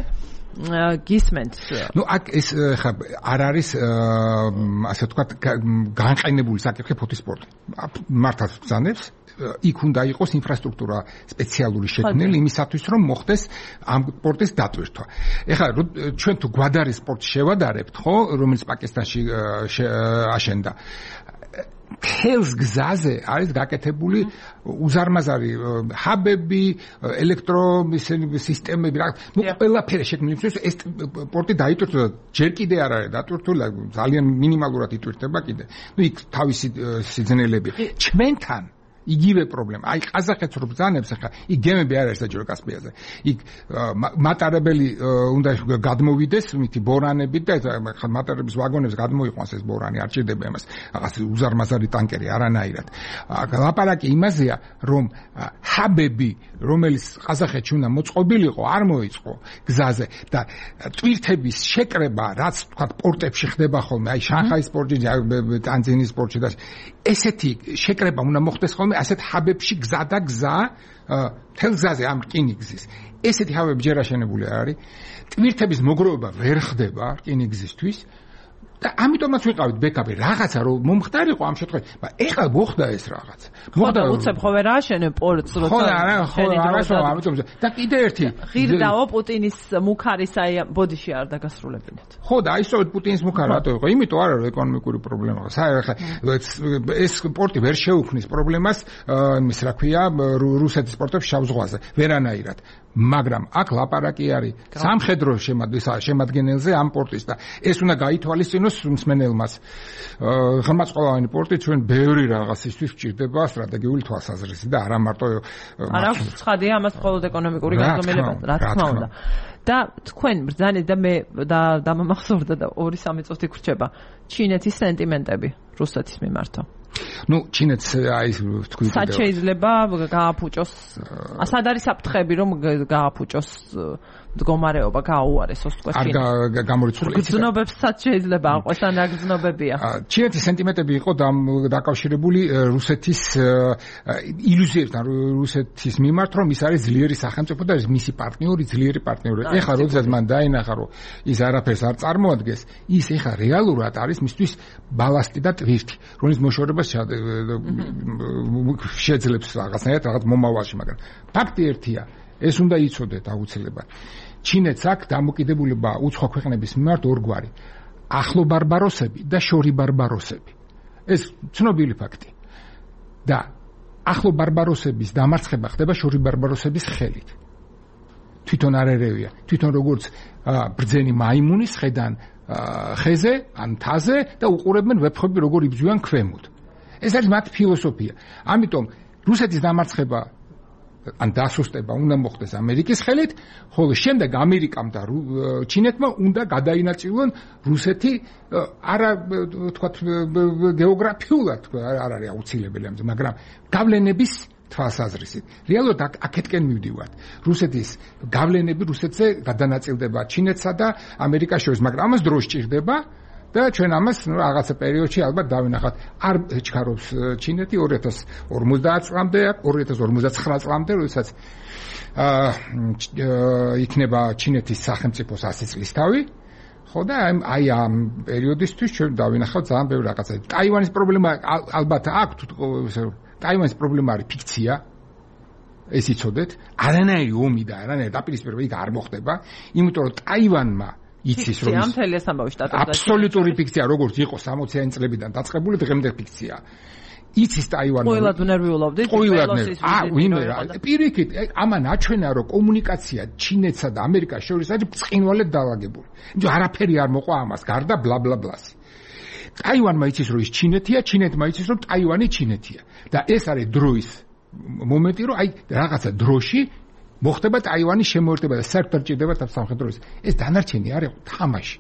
გისმენთ. ნუ აქ ეს ხა არ არის ასე ვთქვათ განყენებული საკითხი ფოთისპორტი. მართალ ბრძანებს იქ უნდა იყოს ინფრასტრუქტურა სპეციალური შექმნილი იმისათვის რომ მოხდეს ამ სპორტის დატვირთვა. ეხლა ჩვენ თუ გვადარის სპორტს შევადარებთ, ხო, რომელიც პაკისტანში აშენდა. თელს გზაზე არის გაკეთებული უზარმაზარი ჰაბები, ელექტროსისტემები, ნუ ყველაფერი შექმნილი, ეს სპორტი დაიტვირთვა, ჯერ კიდე არ არის დატვირთული, ძალიან მინიმალურად იტვირთება კიდე. ნუ იქ თავისი სიძნელები. ჩვენთან იგივე პრობლემა. აი ყაზახეთს რო ბრძანებს ახლა, იქ გემები არ არის საჯარო კასპიაზე. იქ მატარებელი უნდა გადმოვიდეს მითი ბორანებით და ახლა მატარების ვაგონებს გადმოიყვანს ეს ბორანი, არ ჭირდება იმას. რაღაც უზარმაზარი ტანკერი არანაირად. ლაპარაკი იმაზეა, რომ ჰაბები, რომელიც ყაზახეთში უნდა მოწყობილიყო, არ მოიწყო გზაზე და ტვირთების შეკრება, რაც თქვა პორტებში ხდება ხოლმე, აი შანხაის პორტში, ტანძინის პორტში და ესეთი შეკრება უნდა მოხდეს ხოლმე ასეთ ჰაბებში გზა და გზა თელგზაზე ამ რკინიგზის ესეთი ჰაბები ჯერ აშენებული არ არის ტვირთების მოგროვება ვერ ხდება რკინიგზისთვის და ამიტომაც ვიყავით ბექაპი რაღაცა რომ მომხდარიყო ამ შემთხვევაში მაგრამ ეხლა მოხდა ეს რაღაცა მოხდა უცებ ხო ვერ აშენე პორტს როცა ხო ამიტომ და კიდე ერთი ღირდაო პუტინის მუქარის აი ბოდიში არ დაგასრულებინათ ხო და აი სწორედ პუტინის მუქარი რატო იყო იმიტომ არა რომ ეკონომიკური პრობლემაა ეს პორტი ვერ შეუქმნის პრობლემას იმის რა ქვია რუსეთის პორტებს შავ ზღვაზე ვერანაირად მაგრამ აქ ლაპარაკი არის სამხედრო შემადგენელზე ამ პორტის და ეს უნდა გაითვალისწინოს მსმენელმას ხმაწყალოვანი პორტი ჩვენ ბევრი რაღაცისთვის გვჭირდება სტრატეგიული თვალსაზრისით და არა მარტო არა ცხადია ამას მხოლოდ ეკონომიკური გაზომილება რა თქმა უნდა და თქვენ ბრძანეთ და მე დამამახსოვრდა და 2-3 წუთი გრჩება ჩინეთის სენტიმენტები რუსეთის მიმართ ნუ ჩინეთს აი თქვი სად შეიძლება გააფუჭოს სად არის საფრთხები რომ გააფუჭოს მდგომარეობა გააუარესოს თქვა ჩინეთს არ გამორიცხული გზნობებს სად შეიძლება აყვეს ან რა გზნობებია ჩინეთის სენტიმენტები იყო დაკავშირებული რუსეთის ილუზიებთან რუსეთის მიმართ რომ ის არის ძლიერი სახელმწიფო და ის მისი პარტნიორი ძლიერი პარტნიორი ეხლა როდესაც მან დაინახა რომ ის არაფერს არ წარმოადგენს ის ეხლა რეალურად არის მისთვის ბალასტი და ტვირთი რომელიც მოშორებას შეძლებს რაღაცნაირად რაღაც მომავალში მაგრამ ფაქტი ერთია ეს უნდა იცოდეთ აუცილებლად ჩინეთს აქვს დამოკიდებულება უცხო ქვეყნების მიმართ ორგვარი ახლო ბარბაროსები და შორი ბარბაროსები ეს ცნობილი ფაქტი და ახლო ბარბაროსების დამარცხება ხდება შორი ბარბაროსების ხელით თვითონ არ ერევია თვითონ როგორც ბრძენი მაიმუნის ხედან ხეზე ან თაზე და უყურებენ ვეფხვები როგორ იბრძვიან ქვემოთ ეს არის მათ ფილოსოფია ამიტომ რუსეთის დამარცხება ან დასუსტება უნდა მოხდეს ამერიკის ხელით, ხოლო შემდეგ ამერიკამ და ჩინეთმა უნდა გადაინაწილონ რუსეთი არა თქვათ გეოგრაფიულად არ არის აუცილებელი ამაზე, მაგრამ გავლენების თვალსაზრისით. რეალურად აქეთკენ მივდივართ. რუსეთის გავლენები რუსეთზე გადანაწილდება ჩინეთსა და ამერიკას შორის, მაგრამ ამას დრო სჭირდება და ჩვენ ამას რაღაცა პერიოდში ალბათ დავინახავთ. არ ჩქარობს ჩინეთი 2050 წლამდე, 2059 წლამდე, როდესაც იქნება ჩინეთის სახელმწიფოს 100 წლის თავი. ხო და აი ამ პერიოდისთვის ჩვენ დავინახავთ ძალიან ბევრი რაღაცა. ტაივანის პრობლემა ალბათ აქვს ტაივანის პრობლემა არის ფიქცია. ეს იცოდეთ, არანაირი ომი და არანაირი დაპირისპირება იქ არ მოხდება, იმიტომ რომ ტაივანმა იცის რომ ამ თელეს ამბავი შტატებში აბსოლუტური ფიქცია როგორც იყო 60-იანი წლებიდან დაწყებული დღემდე ფიქცია. იცის ტაივანი. ყველად ნერვიულობდით? ვინმე რა. პირიქით, ამან აჩვენა, რომ კომუნიკაცია ჩინეთსა და ამერიკას შორის არის ბრწყინვალედ დაალაგებული. იმიტომ არაფერი არ მოყვა ამას, გარდა ბლა ბლა ბლას. ტაივანმა იცის, რომ ის ჩინეთია, ჩინეთმა იცის, რომ ტაივანი ჩინეთია. და ეს არის დროის მომენტი, რომ აი რაღაცა დროში მოხდება ტაივანის შემოერთება და საერთოდ ჭირდება სამხედროების. ეს დანარჩენი არის თამაში.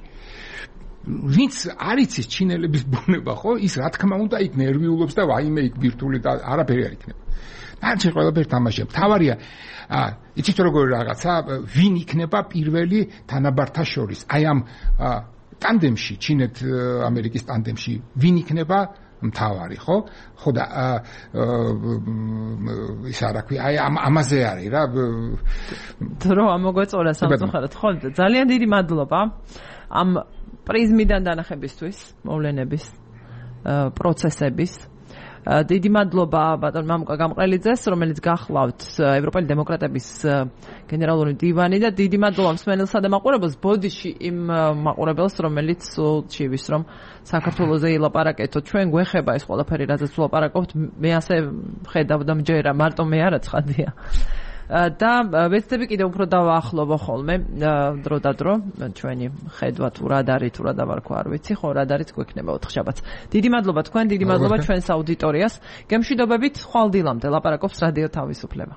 ვინც არ იცის ჩინელების ბუნება, ხო? ის რა თქმა უნდა იქ ნერვიულობს და ვაიმე იქ ბირთვული და არაფერი არ იქნება. დანარჩენი ყველაფერი თამაშია. თავარია, იცით როგორი რაღაცა, ვინ იქნება პირველი თანაბართა შორის? აი ამ ტანდემში, ჩინეთ-ამერიკის ტანდემში, ვინ იქნება მთავარი, ხო? ხო და ის არა ქვია, აი ამაზე არის რა. დრო ამოგვეწორა სამწუხაროდ, ხო? ძალიან დიდი მადლობა ამ პრიზმიდან დანახებისთვის, მოვლენების, პროცესების. დიდი მადლობა ბატონ მამუკა გამყრელიძეს, რომელიც გახლავთ ევროპელი დემოკრატების გენერალური მდივანი და დიდი მადლობა მსმენელსა და მაყურებელს ბოდიში იმ მაყურებელს, რომელიც სულჩივის რომ საქართველოზე ილაპარაკეთო. ჩვენ გვეხება ეს ყველაფერი, რაზეც ვლაპარაკობთ, მე ასე ხედავ და მჯერა, მარტო მე არა ცხადია. და ვეცდები კიდევ უფრო დავაახლოვო ხოლმე დრო და დრო ჩვენი ხედვა თუ რა არის თუ რა დავარქვა არ ვიცი ხო რა არის გვექნება 4 შაბათს. დიდი მადლობა თქვენ, დიდი მადლობა ჩვენს აუდიტორიას. გემშვიდობებით, ხვალ დილამდე ლაპარაკობს რადიო თავისუფლება.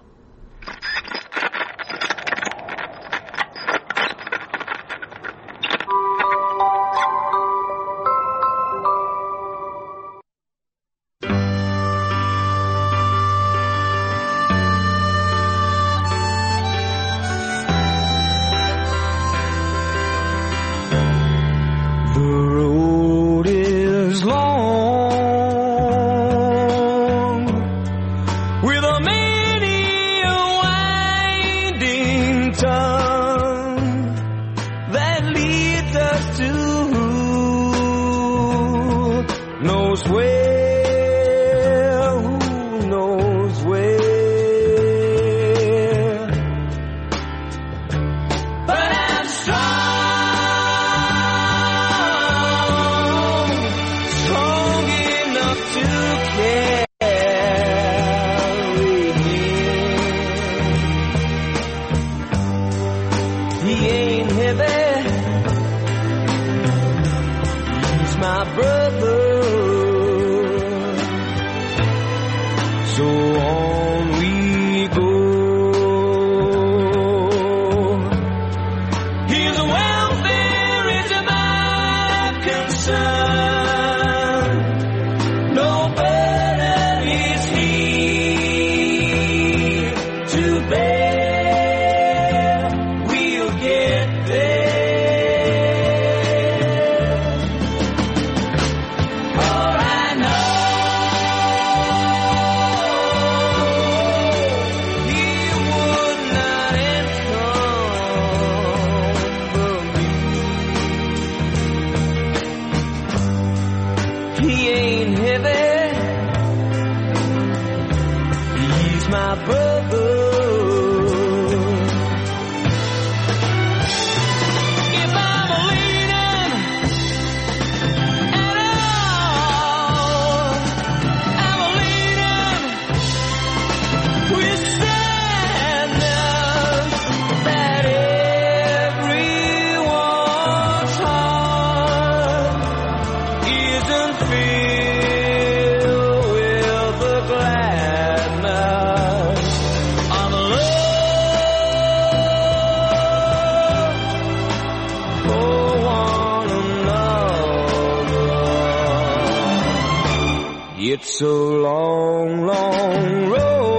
It's a long, long road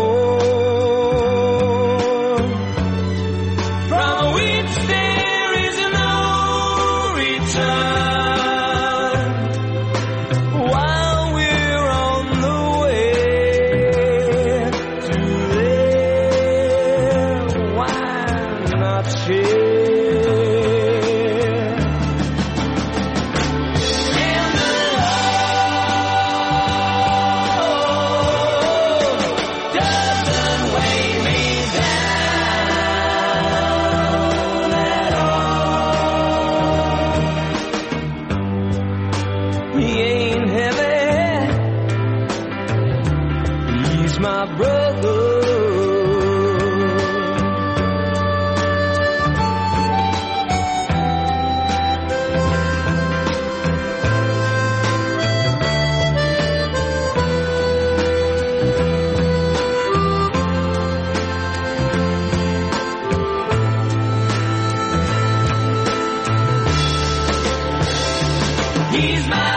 from which there is no return. While we're on the way to there, why not share? Yeah. He's my